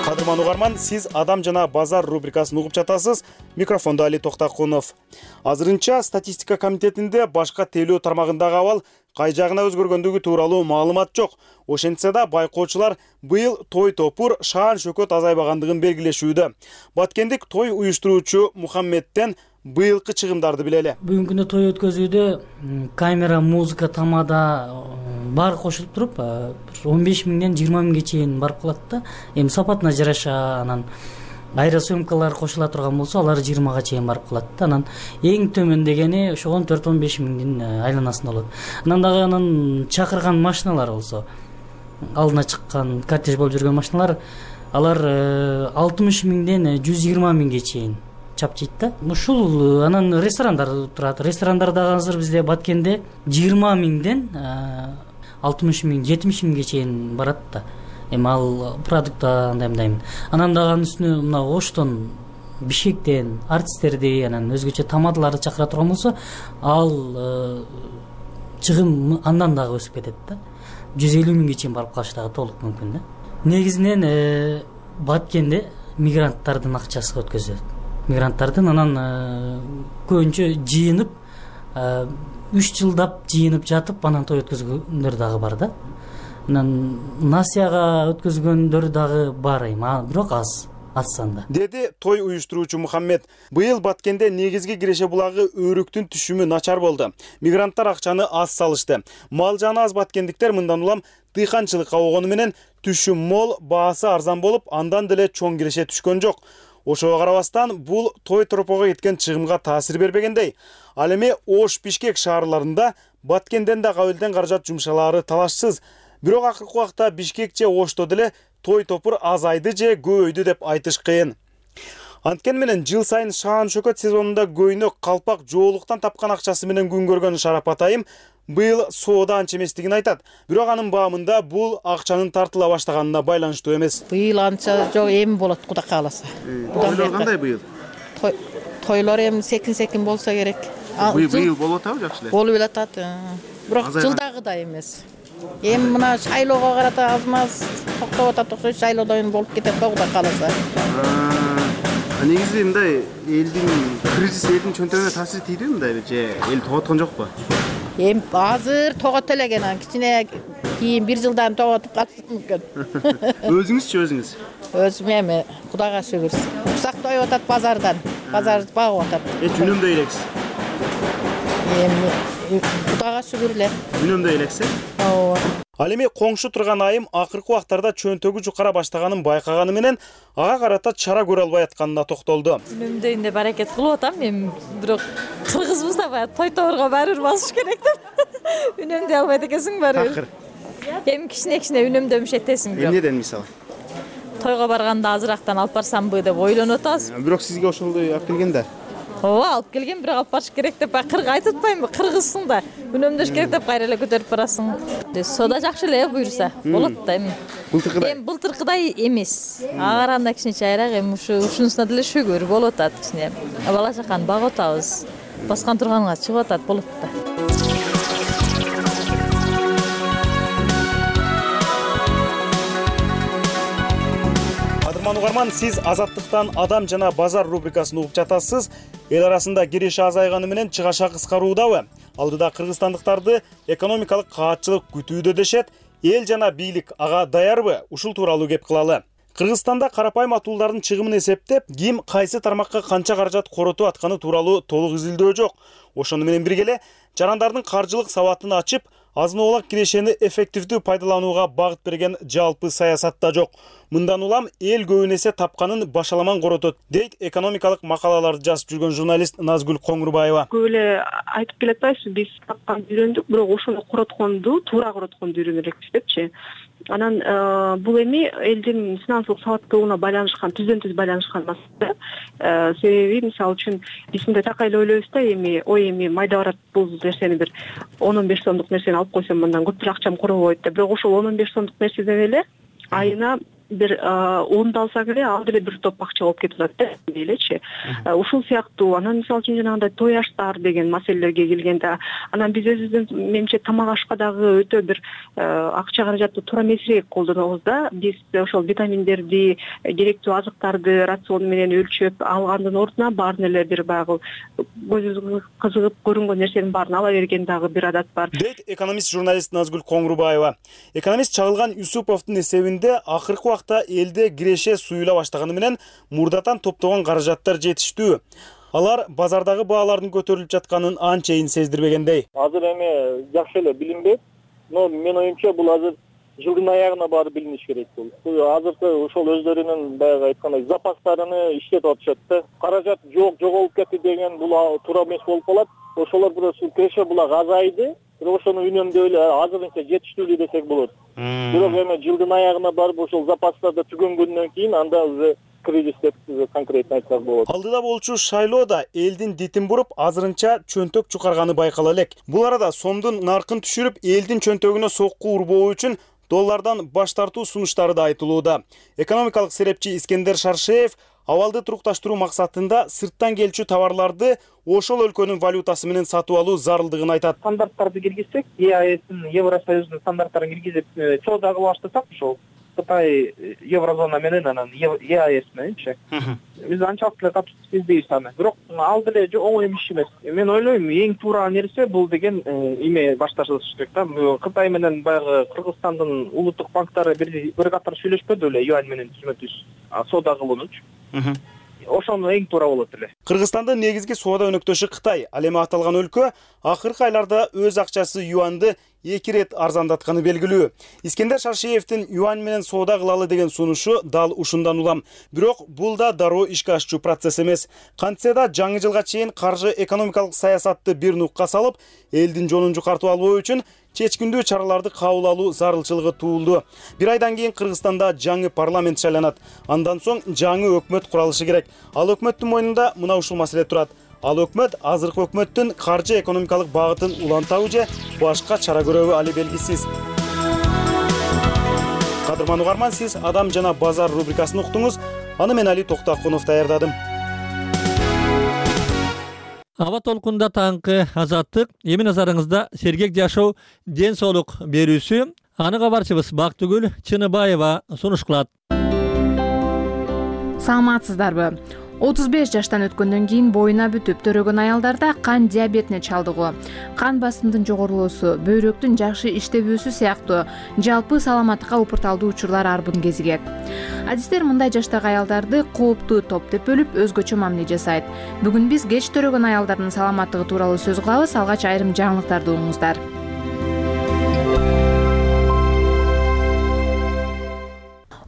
Кадырман угарман, сиз Адам жана базар рубрикасын угуп жатасыз. Микрофондо Али Токтакунов. Азырынча статистика комитетинде башка тейлөө тармагындагы абал кай жагына өзгөргөндүгү тууралуу маалымат жок. Ошентсе да байкоочулар быйыл той топур, шаан шөкөт азайбагандыгын белгилешүүдө. Баткендик той уюштуруучу Мухаммедтен быйылкы чыгымдарды билели. Бүгүнкү күндө той өткөзүүдө камера, музыка, тамада баары кошулуп туруп, он беш миңден жыйырма миңге чейин барып калат да. Эми сапатына жараша, анан аэросъемкалар кошула турган болсо, алар жыйырмага чейин барып калат да. Анан эң төмөн дегени ошо он төрт он беш миңдин айланасында болот. Анан дагы анан чакырган машиналар болсо, алдына чыккан кортеж болуп жүргөн машиналар, алар алтымыш миңден жүз жыйырма миңге чейин чапчыйт да. Ушул анан ресторандар турат. Ресторандар дагы азыр бизде Баткенде жыйырма миңден алтымыш миң, жетимиш миңге чейин барат да. Эми ал продукта андай мындаймын. Анан дагы анын үстүнө мына Оштон, Бишкектен артисттерди, анан өзгөчө тамадаларды чакыра турган болсо, ал чыгым андан дагы өсүп кетет да. жүз элүү миңге чейин барып калышы дагы толук мүмкүн да. негизинен Баткенде мигранттардын акчасы өткөзүлөт. Мигранттардын анан көбүнчө жыйынып үч жылдап жыйынып жатып анан той өткөзгөндөр дагы бар да. Анан насияга өткөзгөндөр дагы бар эми, бирок аз. Санда. Деди той уюштуруучу Мухаммед. Быйыл Баткенде негизги киреше булагы өрүктүн түшүмү начар болду. Мигранттар акчаны аз салышты. Мал жаны аз баткендиктер мындан улам дыйканчылыкка огону менен түшүм мол, баасы арзан болуп, андан деле чоң киреше түшкөн жок. Ошого карабастан бул той тропого кеткен чыгымга таасир бербегендей. Ал эми Ош, Бишкек шаарларында Баткенден да кабылдан каражат жумшалаары талашсыз. Бирок акыркы убакта Бишкек же Ошто деле той топур азайды же көбөйдү деп айтыш кыйын. Анткени менен жыл сайын шаан шөкөт сезонунда көйнөк, калпак, жоолуктан тапкан акчасы менен күн көргөн Шарапат айым быйыл соода анча эместигин айтат. Бирок анын баамында бул акчанын тартыла баштаганына байланыштуу эмес. Быйыл анча жок, эми болот Кудай кааласа. Тойлор кандай быйыл? Тойлор эми секин-секин болсо керек. Быйыл болуп атабы жакшы эле? Болуп атат. Бирок жылдагыдай эмес. Эми мына шайлоого карата аз-маз токтоп атат окшойт, шайлоодон болуп кетет да Кудай кааласа. Негизи мындай элдин кризис элдин чөнтөгүнө таасир тийдиби мындай же эл тоготкон жокпу? Эми азыр тогото элеген, кичине кийин бир жылдан тоготуп калышы мүмкүн. Өзүңүзчү өзүңүз? Өзүм эми Кудайга шүгүр. Уксак тоюп атат базардан. Базар багып атат. Эч үнөмдөй элексиз? Эми Кудайга шүгүр эле. Үнөмдөй элексиз? Ооба. Ал эми коңшу турган айым акыркы убактарда чөнтөгү жукара баштаганын байкаганы менен ага карата чара көрө албай атканына токтолду. Үнөмдөйүн деп аракет кылып атам, эми бирок кыргызбыз да баягы той тобурга баары бир басыш керек деп. Үнөмдөй албайт экенсиң баары бир. Эми кичине-кичине үнөмдөмүш этесиң бирок. Эмнеден мисалы? Тойго барганда азырактан алып барсамбы деп ойлонуп атабыз. Бирок сизге ошондой алып келген да. Ооба, алып келген, бирок алып барыш керек деп кыргыз айтып атпаймынбы? Кыргызсың да. Үнөмдөш керек деп кайра эле көтөрүп барасың. Соода жакшы эле буюрса. Болот да эми. Былтыркыдай. Эми былтыркыдай эмес. Ага караганда кичине чайраак, эми ушу ушунусуна деле шүгүр болуп атат кичине. Бала чаканы багып атабыз. Баскан турганга чыгып атат, болот да. Угарман, сиз Азаттыктан Адам жана базар рубрикасын угуп жатасыз. Эл арасында киреше азайганы менен чыгаша кыскаруудабы? Алдыда кыргызстандыктарды экономикалык каатчылык күтүүдө дешет. Эл жана бийлик ага даярбы? Ушул тууралуу кеп кылалы. Кыргызстанда карапайым атуулардын чыгымын эсептеп, ким кайсы тармакка канча каражат коротуп атканы тууралуу толук изилдөө жок. Ошону менен бирге эле жарандардын каржылык сабатын ачып, азын-аулак кирешени эффективдүү пайдаланууга багыт берген жалпы саясат да жок. Мындан улам эл көбүн эсе тапканын башаламан коротот, дейт экономикалык макалаларды жазып жүргөн журналист Назгүл Коңурбаева. Көп эле айтып келатпайбызбы, биз тапканды үйрөндүк, бирок ошону коротконду, туура коротконду үйрөнө элекпиз депчи. Анан бул эми элдин финансылык сабаттуулугуна байланышкан, түздөн түз байланышкан маселе. Себеби мисалы үчүн биз мындай так эле ойлойбуз да, эми ой эми майда барат бул нерсени бир он он беш сомдук нерсени алып койсом мындан көптүр акчам коробойт деп. Бирок ошол он он беш сомдук нерседен эле айына бир онду алсак эле ал деле бир топ акча болуп кетип атат да элечи. Ушул сыяктуу анан мисалы үчүн жанагындай той аштар деген маселелерге келгенде, анан биз өзүбүздүн менимче тамак ашка дагы өтө бир акча каражатты туура эмесирээк колдонобуз да. Биз ошол витаминдерди, керектүү азыктарды рацион менен өлчөп алгандын ордуна баарын эле бир баягы көзүбүзгө кызыгып көрүнгөн нерсенин баарын ала берген дагы бир адат бар. Дейт экономист журналист Назгүл Коңурбаева. Экономист Чагылган Юсуповдун эсебинде акыркы элде киреше суюла баштаганы менен мурдатан топтогон каражаттар жетиштүү. Алар базардагы баалардын көтөрүлүп жатканын анчейин сездирбегендей. Азыр эми жакшы эле билинбейт, но менин оюмча бул азыр жылдын аягына барып билиниш керек бул. Азыркы ошол өздөрүнүн баягы айткандай запастарыны иштетип атышат да. Каражат жок, жоголуп кетти деген бул туура эмес болуп калат. Ошолор просто киреше булак азайды. Бирок ошону үнөмдөй эле азырынча жетиштүү десек болот. Бирок эми жылдын аягына барып ошол запастарды түгөнгөндөн кийин анда уже кризис деп конкретно айтсак болот. Алдыда болчу шайлоо да элдин дитин буруп, азырынча чөнтөк чукарганы байкала элек. Бул арада сомдун наркын түшүрүп, элдин чөнтөгүнө сокку урбоо үчүн доллардан баш тартуу сунуштары да айтылууда. Экономикалык серепчи Искендер Шаршеев абалды турукташтыруу максатында сырттан келчү товарларды ошол өлкөнүн валютасы менен сатып алуу зарылдыгын айтат. Стандарттарды киргизсек, ЕАЭстин, Евросоюздун стандарттарын киргизип, соода кылып баштасак, ошол Кытай еврозона менен анан Е А Эс мененчи. Биз анчалык эле катуу издейбиз аны. Бирок ал деле оңой иш эмес. Мен ойлойм, эң туура нерсе бул деген эме башташылыш керек да. Кытай менен баягы Кыргызстандын улуттук банктары бир бир катар сүйлөшпөдү эле юань менен түзмө түз соода кылуунучу. Ошону эң туура болот эле. Кыргызстандын негизги соода өнөктөшү Кытай. Ал эми аталган өлкө акыркы айларда өз акчасы юаньды эки ирет арзандатканы белгилүү. Искендер Шаршеевдин юань менен соода кылалы деген сунушу дал ушундан улам. Бирок бул да дароо ишке ашчу процесс эмес. Кантсе да жаңы жылга чейин каржы экономикалык саясатты бир нукка салып, элдин жонун жукартып албоо үчүн чечкиндүү чараларды кабыл алуу зарылчылыгы туулду. Бир айдан кийин Кыргызстанда жаңы парламент шайланат. Андан соң жаңы өкмөт куралышы керек. Ал өкмөттүн мойнунда мына ушул маселе турат. Ал өкмөт азыркы өкмөттүн каржы экономикалык багытын улантабы же башка чара көрөбү али белгисиз. Кадырман угарман, сиз Адам жана базар рубрикасын уктуңуз. Аны мен Али Токтакунов даярдадым. Аба толкунда таңкы азаттык. Эми назарыңызда сергек жашоо ден соолук берүүсү. Аны кабарчыбыз Бактыгүл Чыныбаева сунуш кылат. Саламатсыздарбы? отуз беш жаштан өткөндөн кийин боюна бүтүп төрөгөн аялдарда кан диабетине чалдыгуу, кан басымдын жогорулоосу, бөйрөктүн жакшы иштебүүсү сыяктуу жалпы саламаттыкка упурталдуу учурлар арбын кезигет. Адистер мындай жаштагы аялдарды кооптуу топ деп бөлүп өзгөчө мамиле жасайт. Бүгүн биз кеч төрөгөн аялдардын саламаттыгы тууралуу сөз кылабыз. Алгач айрым жаңылыктарды угуңуздар.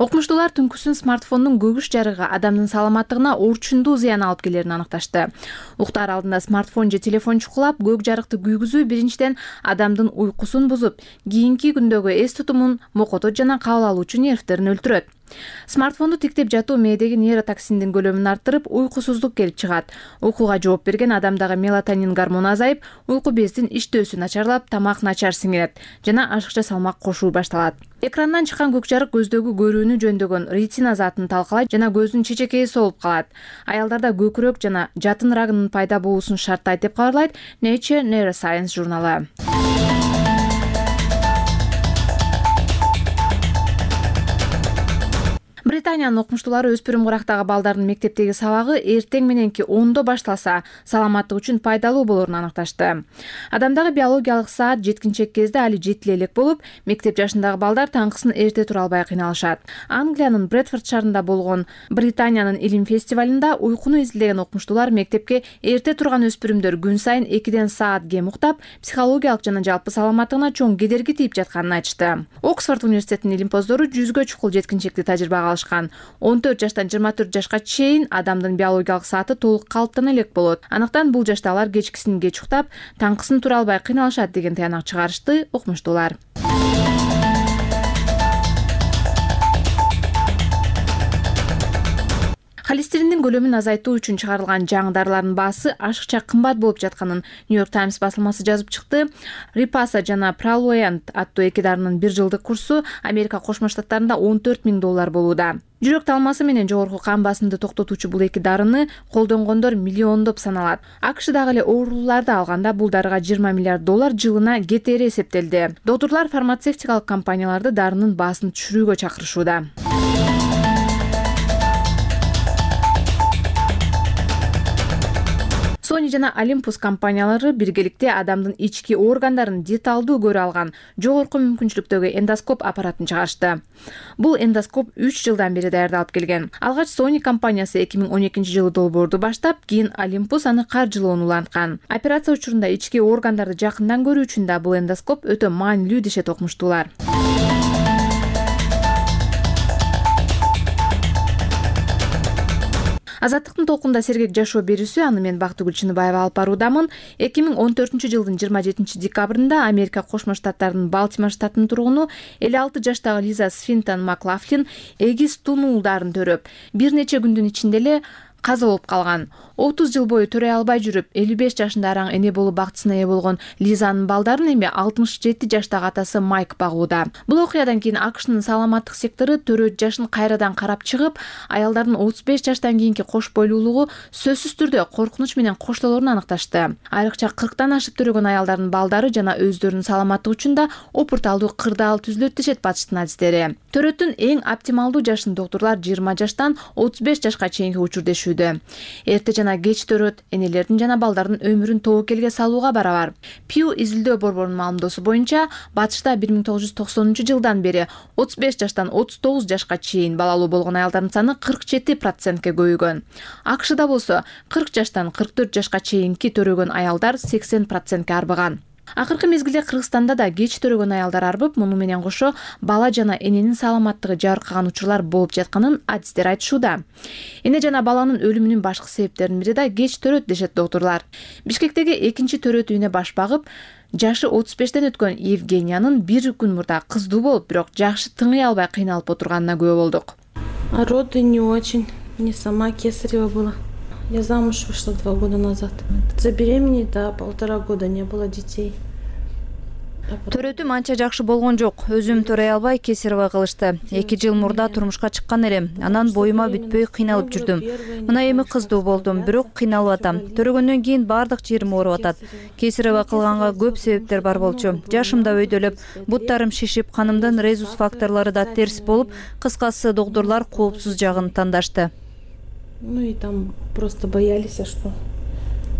Окумуштуулар түнкүсүн смартфондун көгүш жарыгы адамдын саламаттыгына орчундуу зыян алып келерин аныкташты. Уктаар алдында смартфон же телефон чукулап, көк жарыкты күйгүзүү биринчиден адамдын уйкусун бузуп, кийинки күндөгү эс тутумун, мокотот жана кабыл алуучу нервтерин өлтүрөт. Смартфонду тиктеп жатуу мээдеги нейротоксиндин көлөмүн арттырып, уйкусуздук келип чыгат. Уйкуга жооп берген адамдагы мелатонин гормону азайып, уйку бездин иштөөсү начарлап, тамак начар сиңирет жана ашыкча салмак кошуу башталат. Экрандан чыккан көк жарык көздөгү көрүүнү жөндөгөн ретина затын талкалайт жана көздүн чечекеи солуп калат. Аялдарда көкүрөк жана жатын рагынын пайда болуусун шарттайт деп кабарлайт Nature Neuroscience журналы. Британиянын окумуштуулары өспүрүм курактагы балдардын мектептеги сабагы эртең мененки ондо башталса, саламаттык үчүн пайдалуу болорун аныкташты. Адамдагы биологиялык саат жеткинчек кезде али жетиле элек болуп, мектеп жашындагы балдар таңкысын эрте тура албай кыйналышат. Англиянын Брэдфорд шаарында болгон Британиянын илим фестивалында уйкуну изилдеген окумуштуулар мектепке эрте турган өспүрүмдөр күн сайын экиден саат кем уктап, психологиялык жана жалпы саламаттыгына чоң кедерги тийип жатканын айтышты. Оксфорд университетинин илимпоздору жүзгө чукул жеткинчекти тажрыйбага он төрт жаштан жыйырма төрт жашка чейин адамдын биологиялык сааты толук калыптана элек болот. Анықтан бул жашта алар кечкисин кеч уктап, таңкысын тура албай кыйналышат деген таянак чыгарышты окумуштуулар. Холестериндин көлөмүн азайтуу үчүн чыгарылган жаңы дарылардын баасы ашыкча кымбат болуп жатканын Нью-Йорк Таймс басылмасы жазып чыкты. Ripasa жана Praloyant аттуу эки дарынын бир жылдык курсу Америка Кошмо Штаттарында он төрт миң доллар болууда. Жүрөк талмасы менен жогорку кан басымды токтотуучу бул эки дарыны колдонгондор миллиондоп саналат. АКШдагы эле оорулууларды алганда бул дарыга жыйырма миллиард доллар жылына кетери эсептелди. Доктурлар фармацевтикалык компанияларды дарынын баасын түшүрүүгө чакырышууда. Sony жана Olympus компаниялары биргеликте адамдын ички органдарын деталдуу көрө алган жогорку мүмкүнчүлүктөгү эндоскоп аппаратын чыгарышты. Бул эндоскоп үч жылдан бери даярдалып келген. Алгач Sony компаниясы эки миң он экинчи жылы долбоорду баштап, кийин Olympus аны каржылоону уланткан. Операция учурунда ички органдарды жакындан көрүү үчүн да бул эндоскоп өтө маанилүү дешет окумуштуулар. Азаттыктын толкунда сергек жашоо берүүсү, аны мен Бактыгүл Чыныбаева алып баруудамын. эки миң он төртүнчү жылдын жыйырма жетинчи декабрында Америка Кошмо Штаттарынын Балтимор штатынын тургуну элүү алты жаштагы Лиза Свинтон Маклафлин эгиз тунуулдарын төрөп, бир нече күндүн ичинде эле каза болуп калган. отуз жыл бою төрөй албай жүрүп, элүү беш жашында араң эне болуу бактысына ээ болгон Лизанын балдарын эми алтымыш жети жаштагы атасы Майк багууда. Бул окуядан кийин АКШнын саламаттык сектору төрөт жашын кайрадан карап чыгып, аялдардын отуз беш жаштан кийинки кош бойлуулугу сөзсүз түрдө коркунуч менен коштолоорун аныкташты. Айрыкча кырктан ашып төрөгөн аялдардын балдары жана өздөрүнүн саламаттыгы үчүн да опурталдуу кырдаал түзүлөт дешет батыштын адистери. Төрөттүн эң оптималдуу жашын доктурлар жыйырма жаштан отуз беш жашка чейинки учурдешүүдө. Эрте жана кеч төрөт энелердин жана балдардын өмүрүн тобокелге салууга барабар. Pew изилдөө борборунун маалымдоосу боюнча, батышта бир миң тогуз жүз токсонунчу жылдан бери отуз беш жаштан отуз тогуз жашка чейин балалуу болгон аялдардын саны кырк жети процентке көбөйгөн. АКШда болсо кырк жаштан кырк төрт жашка чейинки төрөгөн аялдар сексен процентке арбыган. Акыркы мезгилде Кыргызстанда да кеч төрөгөн аялдар арбып, муну менен кошо бала жана эненин саламаттыгы жабыркаган учурлар болуп жатканын адистер айтышууда. Эне жана баланын өлүмүнүн башкы себептеринин бири да кеч төрөт дешет доктурлар. Бишкектеги экинчи төрөт үйүнө баш багып, жашы отуз бештен өткөн Евгениянын бир күн мурда кыздуу болуп, бирок жакшы тыңый албай кыйналып отурганына күбө болдук. А роды не очень. Мне сама кесарево было. Я замуж вышла два года назад. Забеременеть, да, полтора года не было детей. Төрөтүм анча жакшы болгон жок. Өзүм төрөй албай кесарево кылышты. эки жыл мурда турмушка чыккан элем. Анан боюма бүтпөй кыйналып жүрдүм. Мына эми кыздуу болдум, бирок кыйналып атам. Төрөгөндөн кийин баардык жерим ооруп атат. Кесарево кылганга көп себептер бар болчу. Жашым да өйдөлөп, буттарым шишип, канымдын резус факторлору да терс болуп, кыскасы доктурлар коопсуз жагын тандашты. Ну и там просто боялись, что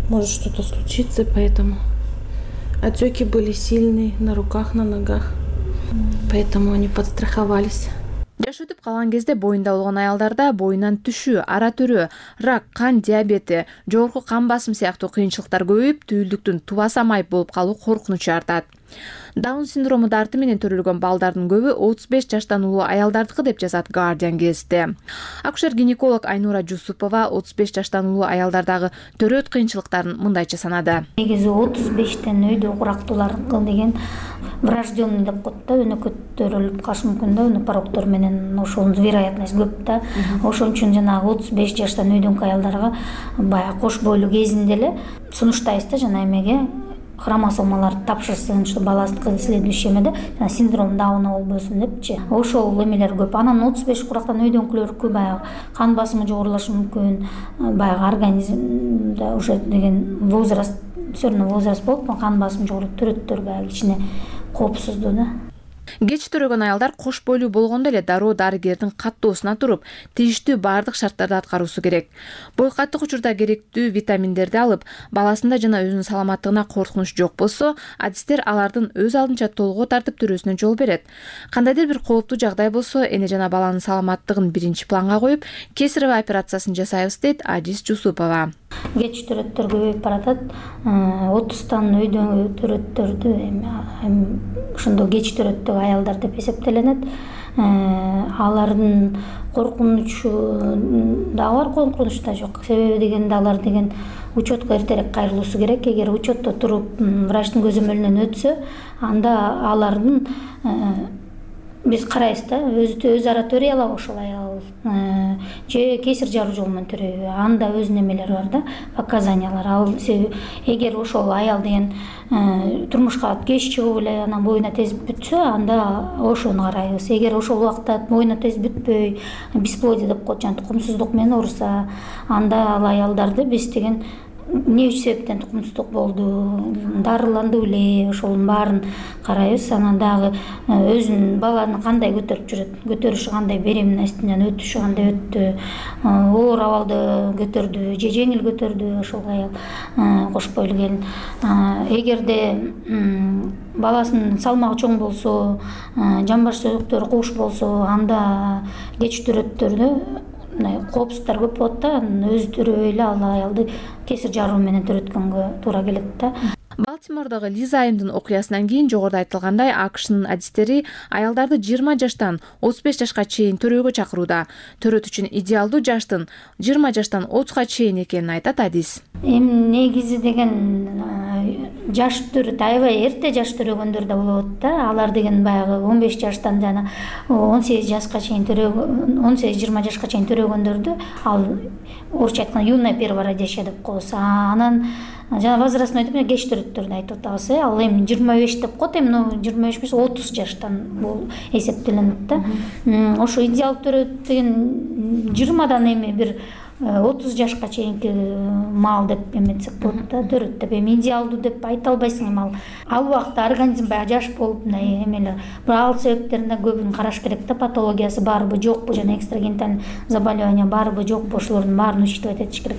может что-то случиться, поэтому отеки были сильные на руках, на ногах, поэтому они подстраховались. Жаш өтүп калган кезде боюнда болгон аялдарда боюнан түшүү, ара төрөө, рак, кан диабети, жогорку кан басым сыяктуу кыйынчылыктар көбөйүп, түйүлдүктүн тубаса майып болуп калуу коркунучу артат. Даун синдрому дарты менен төрөлгөн балдардын көбү отуз беш жаштан улуу аялдардыкы деп жазат Guardian гезити. Акушер-гинеколог Айнура Жусупова отуз беш жаштан улуу аялдардагы төрөт кыйынчылыктарын мындайча санады. Негизи отуз бештен өйдө курактуулар деген врожденный деп коет да, өнөкөт төрөлүп калышы мүмкүн да, өнөк пороктор менен ошонун вероятность көп да. Ошон үчүн жанагы отуз беш жаштан өйдөнкү аялдарга баягы кош бойлуу кезинде эле сунуштайбыз да, жана эмеге хромосомалар тапшырсын, что баласы следующий эмеде синдром Дауна болбосун депчи. Ошол эмелер көп. Анан отуз беш курактан өйдөнкүлөр баягы кан басымы жогорулашы мүмкүн, баягы организмде уже деген возраст, все равно возраст болуп, кан басымы жогоруп төрөттөр баягы кичине коопсуздуу да. Кеч төрөгөн аялдар кош бойлуу болгондо эле дароо дарыгердин каттоосуна туруп, тийиштүү баардык шарттарды аткаруусу керек. Бой каттык учурда керектүү витаминдерди алып, баласында жана өзүнүн саламаттыгына коркунуч жок болсо, адистер алардын өз алдынча толгоо тартып төрүүсүнө жол берет. Кандайдыр бир кооптуу жагдай болсо, эне жана баланын саламаттыгын биринчи планга коюп, кесарево операциясын жасайбыз дейт Адис Жусупова. Кеч төрөттөр көбөйүп баратат. отуздан өйдөн төрөттөрдү эми ошондо кеч төрөттөгү аялдар деп эсептелинет. Алардын коркунучу дагы бар, коркунуч да жок. Себеби дегенде алар деген учетко эртерээк кайрылуусу керек. Эгер учетто туруп врачтын көзөмөлүнөн өтсө, анда алардын биз карайбыз да, өзү өз ара төрөй алабы ошол аял же кесир жаруу жолу менен төрөйбү, анда өз немелери бар да, показаниялар. Ал эгер ошол аял деген турмушка кеч чыгып эле анан боюна тез бүтсө, анда ошону карайбыз. Эгер ошол убакта боюна тез бүтпөй, бесплодие деп коет, жана тукумсуздук менен ооруса, анда ал аялдарды биз деген эмне себептен тукумсуздук болду, дарыланды беле, ошонун баарын карайбыз. Анан дагы өзүнүн баланы кандай көтөрүп жүрөт, көтөрүшү кандай, беременностьтен жана өтүшү кандай өттү, оор абалды көтөрдү же жеңил көтөрдү ошол аял кош бойлуу келин. Эгерде баласынын салмагы чоң болсо, жамбаш сөзөктөрү кууш болсо, анда кеч төрөттөрдө коопсуздуктар көп болот да, өзү төрөбөй эле ал аялды кесир жаруу менен төрөткөнгө туура келет да. Бал Балтимордогу Лиза Айымдын окуясынан кийин жогоруда айтылгандай АКШнын адистери аялдарды жыйырма жаштан отуз беш жашка чейин төрөөгө чакырууда. Төрөт үчүн идеалдуу жаштын жыйырма жаштан отузга чейин экенин айтат адис. Эми негизи деген жаш төрөт аябай эрте жаш төрөгөндөр да болот да. Алар деген баягы он беш жаштан жана он сегиз жашка чейин төрөгөн, он сегиз жыйырма жашка чейин төрөгөндөрдү ал орусча айтканда юная первородящая деп коебуз. Анан жана возрастной деп кеч төрөттөрдү айтып атабыз. Ал эми жыйырма беш деп коет, эми жыйырма беш эмес отуз жаштан бул эсептелинет да. Ошо идеал төрөт деген жыйырмадан эми бир отуз жашка чейинки маал деп эметсек болот да, төрөт деп. Эми идеалдуу деп айта албайсың, эми ал ал убакта организм баягы жаш болуп мындай эмелер. Бирок ал себептерин да көбүн караш керек да, патологиясы барбы жокпу жана экстрагенитальный заболевание барбы жокпу, ошолордун баарын учитывать этиш керек.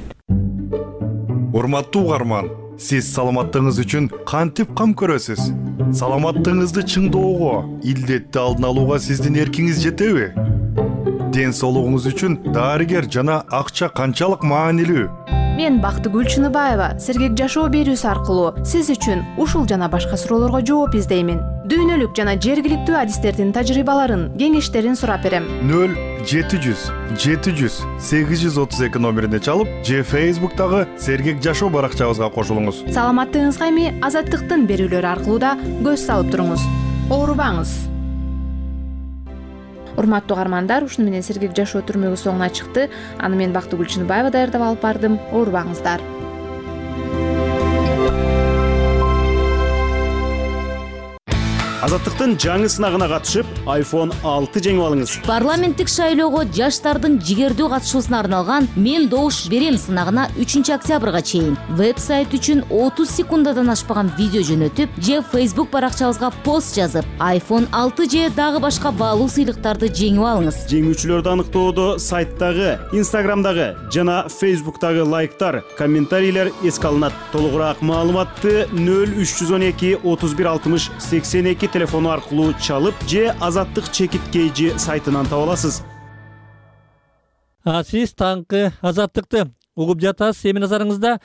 Урматтуу угарман, сиз саламаттыгыңыз үчүн кантип кам көрөсүз? Саламаттыгыңызды чыңдоого, илдетти алдын алууга сиздин эркиңиз жетеби? Ден соолугуңуз үчүн дарыгер жана акча канчалык маанилүү? Мен Бактыгүл Чыныбаева сергек жашоо берүүсү аркылуу сиз үчүн ушул жана башка суроолорго жооп издеймин. Дүйнөлүк жана жергиликтүү адистердин тажрыйбаларын, кеңештерин сурап берем. нөл жети жүз жети жүз сегиз жүз отуз эки номерине чалып, же Facebook'тагы сергек жашоо баракчабызга кошулуңуз. Саламаттыгыңызга эми Азаттыктын берүүлөрү аркылуу да көз салып туруңуз. Оорубаңыз. Урматтуу угармандар, ушуну менен сергек жашоо түрмөгү соңуна чыкты. Аны мен Бактыгүл Чыныбаева даярдап алып бардым. Оорубаңыздар. Азаттыктын жаңы сынагына катышып, айфон алты жеңип алыңыз. Парламенттик шайлоого жаштардын жигердүү катышуусуна арналган «Мен добуш берем» сынагына үчүнчү октябрга чейин веб-сайт үчүн отуз секундадан ашпаган видео жөнөтүп, же Facebook баракчабызга пост жазып, айфон алты же дагы башка баалуу сыйлыктарды жеңип алыңыз. Жеңүүчүлөрдү аныктоодо сайттагы, Instagramдагы жана Facebook'тагы лайктар, комментарийлер эске алынат. Толугураак маалыматты нөл үч жүз он эки отуз бир алтымыш сексен эки телефону аркылуу чалып же Азаттык чекит кейжи сайтынан таба аласыз. А сиз таңкы Азаттыкты угуп жатасыз. Эми назарыңызда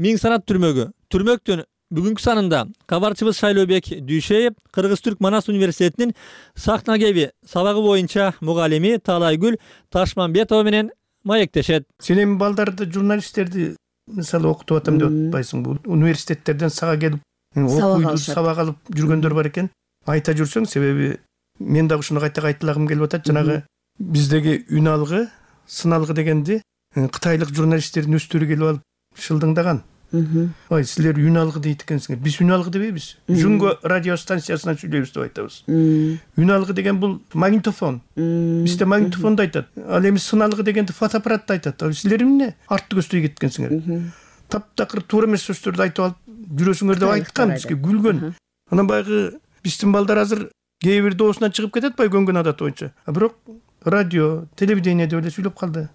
Миң санат түрмөгү. Түрмөктүн бүгүнкү санында кабарчыбыз Шайлообек Дүйшеев Кыргыз-Түрк Манас университетинин сахнагеби сабагы боюнча мугалими Таалайгүл Ташмамбетова менен маектешет. Сен эми балдарды, журналисттерди мисалы окутуп атам деп атпайсың. Бул университеттерден сага келип окуйду, сабак алып жүргөндөр бар экен. Айта жүрсөң, себеби мен дагы ушуну кайта кайталагым келип атат. Жанагы биздеги үн алгы, сын алгы дегенди кытайлык журналисттердин өздөрү келип алып шылдыңдаган. Ой, силер үн алгы дейт экенсиңер. Биз үн алгы дебейбиз. Жүнгө радио станциясынан сүйлөйбүз деп айтабыз. Үн алгы деген бул магнитофон. Бизде магнитофонду айтат. Ал эми сын алгы дегенди фотоаппаратты айтат. Силер эмне артты көздөй кеткенсиңер? Таптакыр туура эмес сөздөрдү айтып алып жүрөсүңөр деп айткан, бизге күлгөн. Анан баягы биздин балдар азыр кээ бир доосунан чыгып кетет бай көнгөн адат боюнча. А бирок радио, телевидение деп эле сүйлөп калды.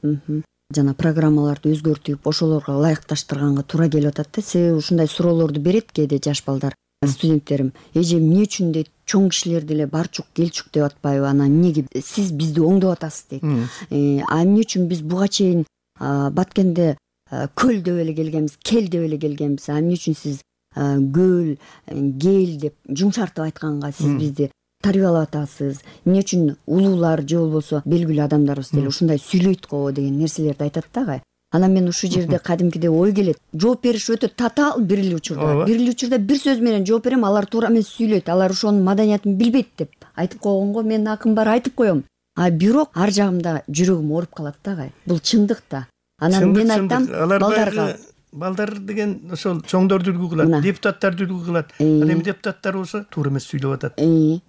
Жана программаларды өзгөртүп, ошолорго ылайыкташтырганга туура келип атат да. Себеби ушундай суроолорду берет кээде жаш балдар, студенттерим. Эже эмне үчүн дейт, чоң кишилер деле барчук келчүк деп атпайбы? Анан эмнеге сиз бизди оңдоп атасыз дейт. А эмне үчүн биз буга чейин Баткенде көл деп эле келгенбиз, кел деп эле келгенбиз. А эмне үчүн сиз көл, кел деп жумшартып айтканга сиз бизди тарбиялап атасыз? Эмне үчүн улуулар же болбосо белгилүү адамдарыбыз деле ушундай сүйлөйт го деген нерселерди айтат да. Анан мен ушул жерде кадимкиде ой келет. Жооп бериш өтө татаал бир эле учурда. Бир эле учурда бир сөз менен жооп берем, алар туура эмес сүйлөйт. Алар ошонун маданиятын билбейт деп айтып койгонго мен акым бар айтып коем. А бирок ар жагымда жүрөгүм ооруп калат да. Бул чындык да. Анан мен айтам балдарга балдар деген ошол чоңдорду үлгү кылат, депутаттарды үлгү кылат. Ал эми депутаттар болсо туура эмес сүйлөп атат.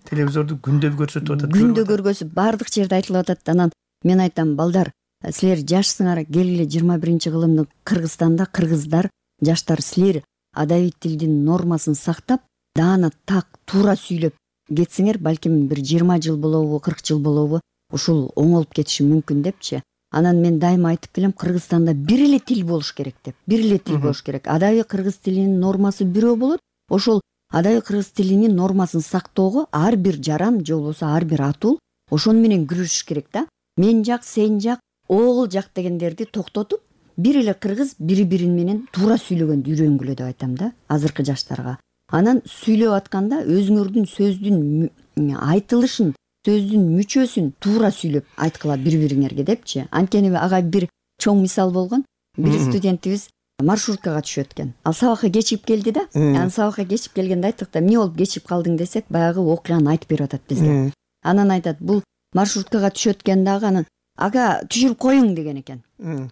Телевизорду күндө көрсөтүп атат. Күндө көргөзүп баардык жерде айтылып атат. Анан мен айтам балдар, силер жашсыңар, келгиле жыйырма биринчи кылымдын Кыргызстанда кыргыздар, жаштар силер адабий тилдин нормасын сактап, даана так туура сүйлөп кетсеңер, балким бир жыйырма жыл болобу, кырк жыл болобу, ушул оңолуп кетиши мүмкүн депчи. Анан мен дайыма айтып келем, Кыргызстанда бир эле тил болуш керек деп. Бир эле тил болуш керек. Адабий кыргыз тилинин нормасы бирөө болот. Ошол адабий кыргыз тилинин нормасын сактоого ар бир жаран же болбосо ар бир атул ошону менен күрөшүш керек да. Мен жак, сен жак, оғыл жак дегендерди токтотуп, бир эле кыргыз бири-бири менен туура сүйлөгөндү үйрөнгүлө деп айтам да азыркы жаштарга. анан сүйлөп атканда өзүңөрдүн сөздүн айтылышын, сөздүн мүчөсүн туура сүйлөп айткыла бири бириңерге депчи. Анткени ага бир чоң мисал болгон. Бир студентибиз маршруткага түшөт экен. Ал сабакка кечигип келди да. Анан сабакка кечигип келгенде айттык да, эмне болуп кечигип калдың десек, баягы окуяны айтып берип атат бизге. Анан айтат, бул маршруткага түшөт экен дагы, анан ага түшүрүп коюң деген экен.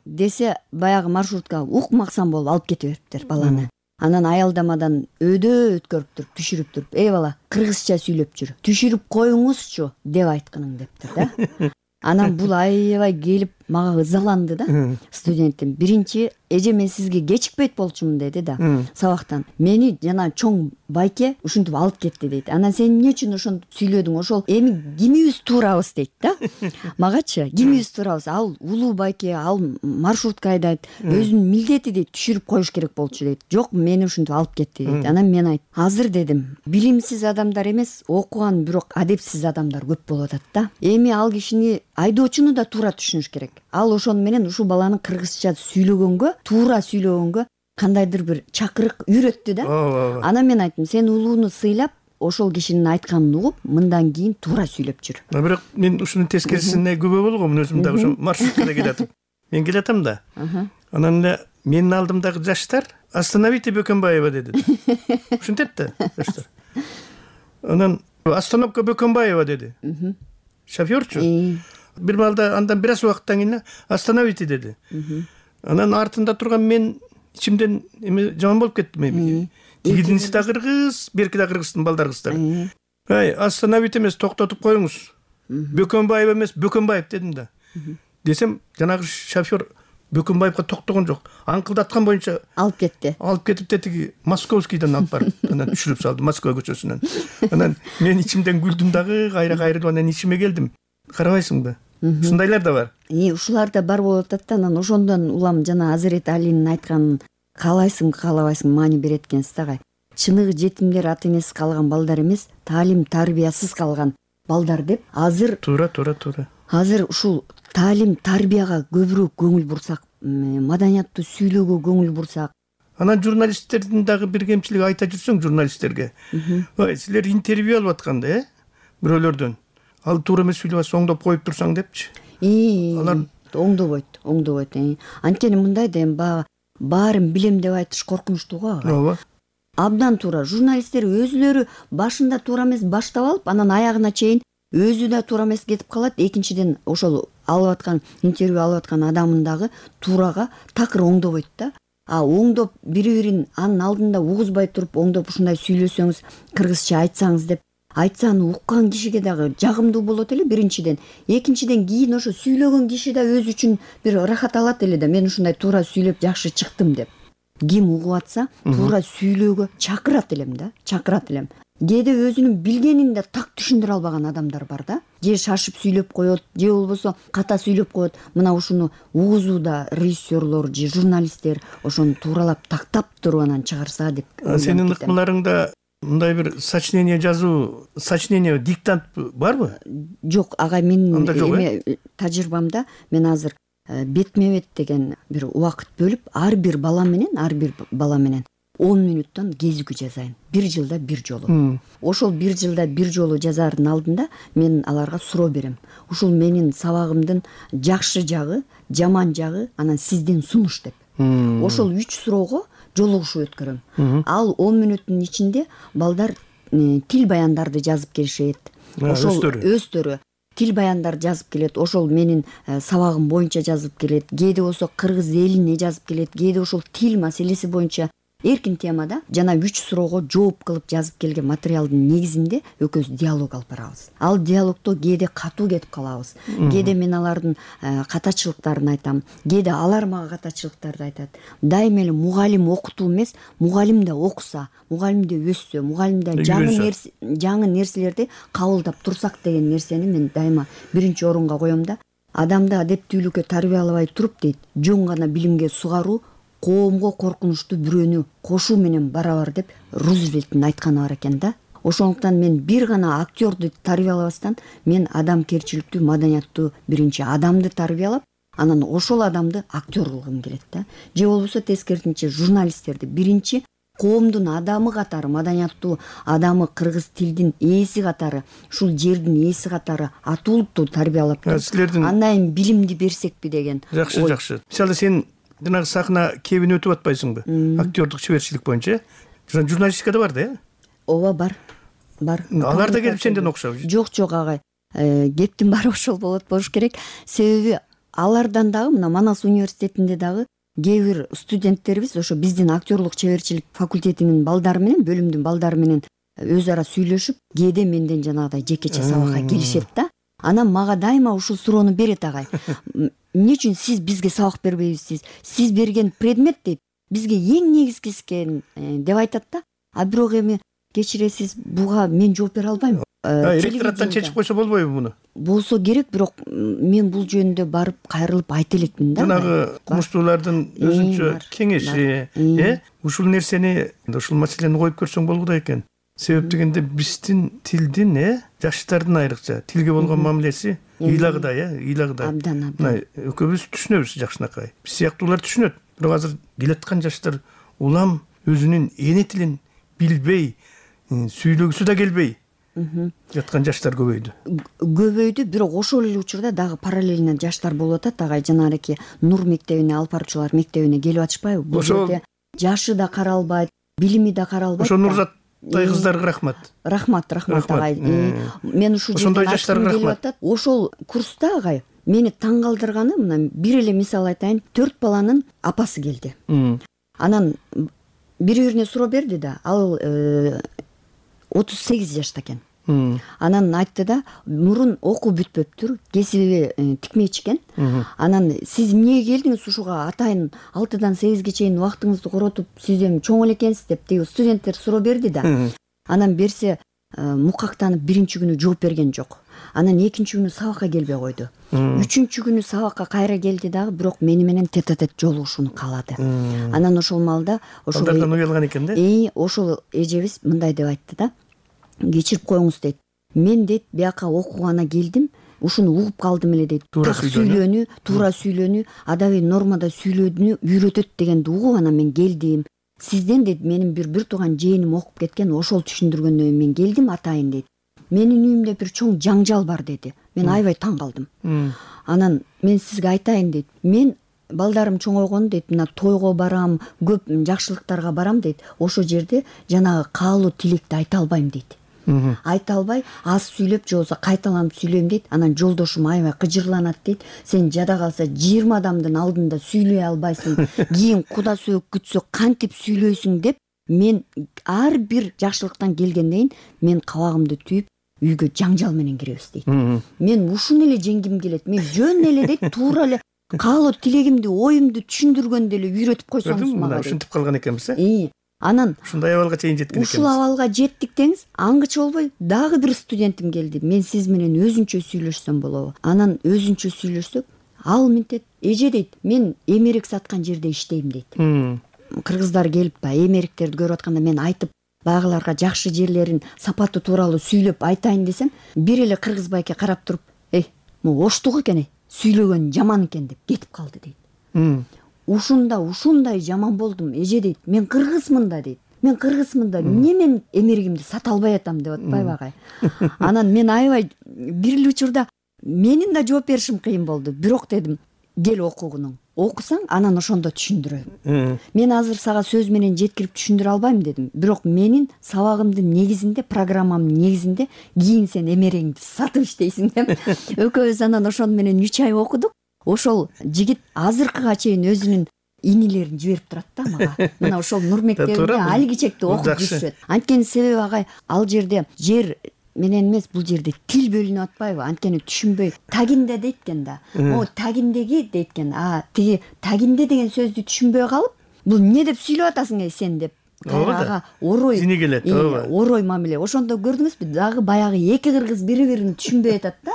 Десе, баягы маршрутка укмаксан болуп алып кете бериптир баланы. Анан аялдамадан өдө өткөрүп туруп, түшүрүп туруп, "Эй бала, кыргызча сүйлөп жүр. Түшүрүп коюңузчу" деп айтканың дептир да. Анан бул аябай келип мага ызаланды да. Студентим биринчи, эже мен сизге кечикпейт болчумун деди да. Сабактан мени жана чоң байке ушинтип алып кетти дейт. Анан сен эмне үчүн ошентип сүйлөдүң? Ошол эми кимибиз туурабыз дейт да. Магачы кимибиз туурабыз? Ал улуу байке, ал маршрутка айдайт, өзүнүн милдети дейт, түшүрүп коюш керек болчу дейт. Жок, мени ушинтип алып кетти дейт. Анан мен айттым, азыр дедим, билимсиз адамдар эмес, окуган, бирок адепсиз адамдар көп болуп атат да. Эми ал кишини айдоочуну да туура түшүнүш керек. Ал ошону менен ушул баланы кыргызча сүйлөгөнгө, туура сүйлөгөнгө кандайдыр бир чакырык үйрөттү да. Анан мен айттым, сен улууну сыйлап, ошол кишинин айтканын угуп, мындан кийин туура сүйлөп жүр. Бирок мен ушунун тескерисине күбө болгом, өзүм дагы ошо маршруткада келатып. Мен келатам да. Анан эле менин алдымдагы жаштар "Остановите Бөкөнбаева" деди. Ушинтет да жаштар. Анан "Остановка Бөкөнбаева" деди. Шофёрчу. Бир маалда андан бир аз убакыттан кийин "Остановите" деди. Анан артында турган мен ичимден эме жаман болуп кеттим эми. Тигидинси да кыргыз, берки да кыргыздын балдар кыздары. "Ай, остановите эмес, токтотуп коюңуз. Бөкөнбаева эмес, Бөкөнбаев" дедим да. Десем, жанагы шофёр Бөкөнбаевга токтогон жок. Аңкылдаткан боюнча алып кетти. Алып кетип тетиги Московскийден алып барып, анан түшүрүп салды Москва көчөсүнөн. Анан мен ичимден күлдүм дагы, кайра кайрылып анан ичиме келдим. Карабайсыңбы? Ушундайлар да бар. И ушулар да бар болуп атат да. Анан ошондон улам жана Азирет Алинин айтканын каалайсың, каалабайсың маани берет экенсиз да. Чыныгы жетимдер ата энеси калган балдар эмес, таалим тарбиясыз калган балдар деп азыр туура, туура, туура. Азыр ушул таалим тарбияга көбүрөөк көңүл бурсак, маданияттуу сүйлөөгө көңүл бурсак. Анан журналисттердин дагы бир кемчилиги айта жүрсөң журналисттерге. Ой, силер интервью алып атканда, э? Бирөөлөрдөн. Ал туура эмес сүйлөп атса оңдоп коюп турсаң депчи. Алар оңдобойт, оңдобойт. Анткени мындай да эми баягы баарын билем деп айтыш коркунучтуу го. Ооба. Абдан туура. Журналисттер өзүлөрү башында туура эмес баштап алып, анан аягына чейин өзү да туура эмес кетип калат. Экинчиден ошол алып аткан интервью алып аткан адамын дагы туурага такыр оңдобойт да. А оңдоп бири-бирин анын алдында угузбай туруп, оңдоп ушундай сүйлөсөңүз, кыргызча айтсаңыз деп айтса, аны уккан кишиге дагы жагымдуу болот эле биринчиден. Экинчиден кийин ошо сүйлөгөн киши да өзү үчүн бир ырахат алат эле да, мен ушундай туура сүйлөп жакшы чыктым деп. Ким угуп атса, туура сүйлөөгө чакырат элем да, чакырат элем. Кээде өзүнүн билгенин да так түшүндүрө албаган адамдар бар да. Же шашып сүйлөп коет, же болбосо ката сүйлөп коет. Мына ушуну угузууда режиссерлор же журналисттер ошону тууралап тактап туруп анан чыгарса деп. Сенин ыкмаларыңда мындай бир сочинение жазуу, сочинение, диктант барбы? Жок, ага менин эме тажрыйбамда мен азыр бетме-бет деген бир убакыт бөлүп, ар бир бала менен, ар бир бала менен он мүнөттөн кезүүгү жазайын. Бир жылда бир жолу. Ошол бир жылда бир жолу жазаардын алдында мен аларга суроо берем. Ушул менин сабагымдын жакшы жагы, жаман жагы, анан сиздин сунуш деп. Ошол үч суроого жолугушуп өткөрөм. Ал он мүнөттүн ичинде балдар тил баяндарды жазып келишет. Ошол өздөрү тил баяндар жазып келет. Ошол менин сабагым боюнча жазып келет. Кээде болсо кыргыз элине жазып келет. Кээде ошол тил маселеси боюнча эркин темада жана үч суроого жооп кылып жазып келген материалдын негизинде экөөбүз диалог алып барабыз. Ал диалогдо кээде катуу кетип калабыз. Кээде мен алардын катачылыктарын айтам. Кээде алар мага катачылыктарды айтат. Дайыма эле мугалим окутуу эмес, мугалим да окуса, мугалим да өссө, мугалим да жаңы нерсе, жаңы нерселерди кабылдап турсак деген нерсени мен дайыма биринчи орунга коем да. Адамды адептүүлүккө тарбиялабай туруп дейт, жөн гана билимге сугаруу коомго коркунучтуу бирөөнү кошуу менен барабар деп Рузвельттин айтканы бар экен да. Ошондуктан мен бир гана актёрду тарбиялабастан мен адамкерчиликтүү, маданияттуу биринчи адамды тарбиялап, анан ошол адамды актер кылгым келет да. Же болбосо тескерисинче журналисттерди биринчи коомдун адамы катары, маданияттуу адамы, кыргыз тилдин ээси катары, ушул жердин ээси катары атуулуктуу тарбиялап силердин андан билимди берсекпи деген. Жакшы, жакшы. Мисалы сен жанагы сахна кебин өтүп атпайсыңбы? Актёрдук чеберчилик боюнча. Журналистикада бар да, э? Ооба, бар. Бар. Алар да келип сенден окшоп. Жок, жок агай. Кептин баары ошол болот болуш керек. Себеби алардан дагы мына Манас университетинде дагы кээ бир студенттерибиз ошо биздин актерлук чеберчилик факультетинин балдары менен, бөлүмдүн балдары менен өз ара сүйлөшүп, кээде менден жанагыдай жекече сабакка келишет да. Анан мага дайыма ушул суроону берет агай. Эмне үчүн сиз бизге сабак бербейсиз? Сиз берген предмет дейт бизге эң негизгиси экен деп айтат да. А бирок эми кечиресиз, буга мен жооп бере албайм. Ректораттан чечип койсо болбойбу муну? Болсо керек, бирок мен бул жөнүндө барып кайрылып айта элекмин да. Жанагы кумуштуулардын өзүнчө кеңеши, э, ушул нерсени, ушул маселени коюп көрсөң болгудай экен. Себеп дегенде биздин тилдин, э, жаштардын айрыкча тилге болгон мамилеси ыйлагыдай, э, ыйлагыдай. Абдан, абдан. Мына экөөбүз түшүнөбүз жакшынакай. Биз сыяктуулар түшүнөт. Бирок азыр келаткан жаштар улам өзүнүн эне тилин билбей, сүйлөгүсү да келбей жаткан жаштар көбөйдү. Көбөйдү, бирок ошол эле учурда дагы параллельно жаштар болуп атат. Агай жанагы Нур мектебине, Алып баруучулар мектебине келип атышпайбы? Бул жерде жашы да каралбайт, билими да каралбайт. Ошо Нурзаттай кыздарга рахмат. Рахмат, рахмат агай. Мен ушул жерден жаштарга рахмат. Ошол курста агай мени таң калтырганы, мына бир эле мисал айтайын. Төрт баланын апасы келди. Анан бири-бирине суроо берди да, ал отуз сегиз жашта экен. Анан айтты да, мурун окуу бүтпөптүр, кесиби тикмечи экен. Анан сиз эмнеге келдиңиз ушуга, атайын алтыдан сегизге чейин убактыңызды коротуп, сиз эми чоң эле экенсиз деп тиги студенттер суроо берди да. Анан берсе мукактанып биринчи күнү жооп берген жок. Анан экинчи күнү сабакка келбей койду. Үчүнчү күнү сабакка кайра келди дагы, бирок мени менен тет-а-тет жолугушууну каалады. Анан ошол маалда ошол балдардан уялган экен да. Э, ошол эжебиз мындай деп айтты да. Кечирип коюңуз дейт. Мен дейт бияка окуугана келдим, ушуну угуп калдым эле дейт. Туура сүйлөнү, туура сүйлөнү, адабий нормада сүйлөөнү үйрөтөт дегенди угуп анан мен келдим. Сизден дейт менин бир бир тууган жээним окуп кеткен, ошол түшүндүргөндөн мен келдим атайын дейт. Менин үйүмдө бир чоң жаңжал бар деди. Мен аябай таң калдым. Анан мен сизге айтайын дейт. Мен балдарым чоңойгон дейт, мына тойго барам, көп жакшылыктарга барам дейт. Ошол жерде жанагы каалуу тилекти айта албайм дейт. Айта албай, аз сүйлөп же болбосо кайталанып сүйлөйм дейт. Анан жолдошум аябай кыжырланат дейт. Сен жада калса жыйырма адамдын алдында сүйлөй албайсың. Кийин куда сөөк күтсө кантип сүйлөйсүң деп мен ар бир жакшылыктан келгенден мен кабагымды түйүп үйгө жаңжал менен киребиз дейт. Мен ушуну эле жеңгим келет. Мен жөн эле дейт, туура эле каалоо тилегимди, оюмду түшүндүргөндө эле үйрөтүп койсоңуз мага. Ушинтип калган экенбиз, э? Э. Анан ушундай абалга чейин жеткен экенбиз. Ушул абалга жеттик деңиз, аңгыча болбой дагы бир студентим келди. Мен сиз менен өзүнчө сүйлөшсөм болобу? Анан өзүнчө сүйлөшсөк, ал мынтет, эже дейт, мен эмерик саткан жерде иштейм дейт. Кыргыздар келип ба, эмериктерди көрүп атканда мен айтып, багыларга жакшы жерлерин, сапаты тууралуу сүйлөп айтайын десем, бир эле кыргыз байке карап туруп, "Эй, могу оштук экен, сүйлөгөн жаман экен" деп кетип калды дейт. Ушунда ушундай жаман болдум, эже дейт. Мен кыргызмын да дейт. Мен кыргызмын да, эмне мен эмеригимди сата албай атам деп атпайбы агай. Анан мен аябай бир эле учурда менин да жооп беришим кыйын болду. Бирок дедим, кел окугуну. Окусаң, анан ошондо түшүндүрөм. Мен азыр сага сөз менен жеткирип түшүндүрө албайм дедим. Бирок менин сабагымдын негизинде, программамдын негизинде кийин сен эмерегиңди сатып иштейсиң деп. Экөөбүз анан ошону менен үч ай окудук. Ошол жигит азыркыга чейин өзүнүн инилерин жиберип турат да мага. Мына ошол Нур мектебинде алгичекти окуп жүрүшөт. Анткени себеби агай, ал жерде жер менен эмес, бул жерде тил бөлүнүп атпайбы? Анткени түшүнбөй тагинде дейт экен да. О, тагиндеги дейт экен. А, тиги тагинде деген сөздү түшүнбөй калып, бул эмне деп сүйлөп атасың эй сен деп. Ага, орой. Сине келет, ооба. Орой мамиле. Ошондо көрдүңүзбү? Дагы баягы эки кыргыз бири-бирин түшүнбөй атат да.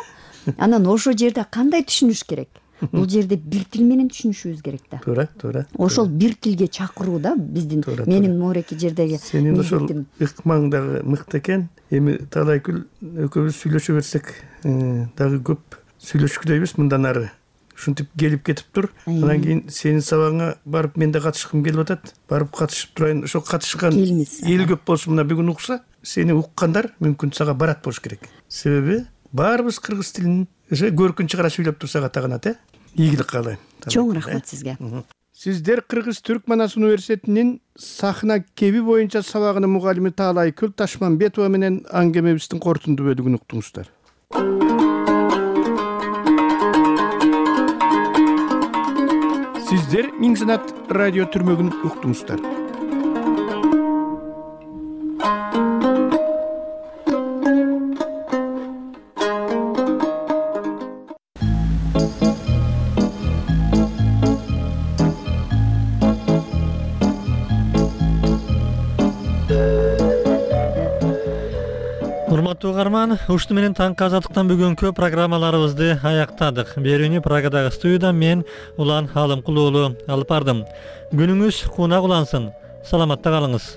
Анан ошол жерде кандай түшүнүш керек? Бул жерде бир тил менен түшүнүшүбүз керек да. Туура, туура. Ошол бир тилге чакыруу да биздин менин Мореки жердеги. Сенин ошол ыкмаң дагы мыкты экен. Эми талай күн экөөбүз сүйлөшө берсек, дагы көп сүйлөшкүдөйбүз мындан ары. ушинтип келип кетиптир. Анан кийин сенин сабагыңа барып мен да катышкым келип атат. Барып катышып турайын. Ошо катышкан эл көп болсо мына бүгүн укса, сени уккандар мүмкүн сага барат болуш керек. Себеби баарыбыз кыргыз тилин көркүн чыгара сүйлөп турсак атаганат, э? Ийгилик каалайм. Чоң рахмат сизге. Сиздер Кыргыз Түрк Манас университетинин сахна кеби боюнча сабагынын мугалими Таалай Күл Ташмамбетова менен аңгемебиздин корутунду бөлүгүн уктуңуздар. Сиздер Миң Санат радио түрмөгүн уктуңуздар. Урматтуу угарман, ушуну менен таңкы азаттыктан бүгүнкү программаларыбызды аяктадык. Берүүнү Прагадагы студиядан мен Улан Алымкул уулу алып бардым. Күнүңүз кунак улансын. Саламатта калыңыз.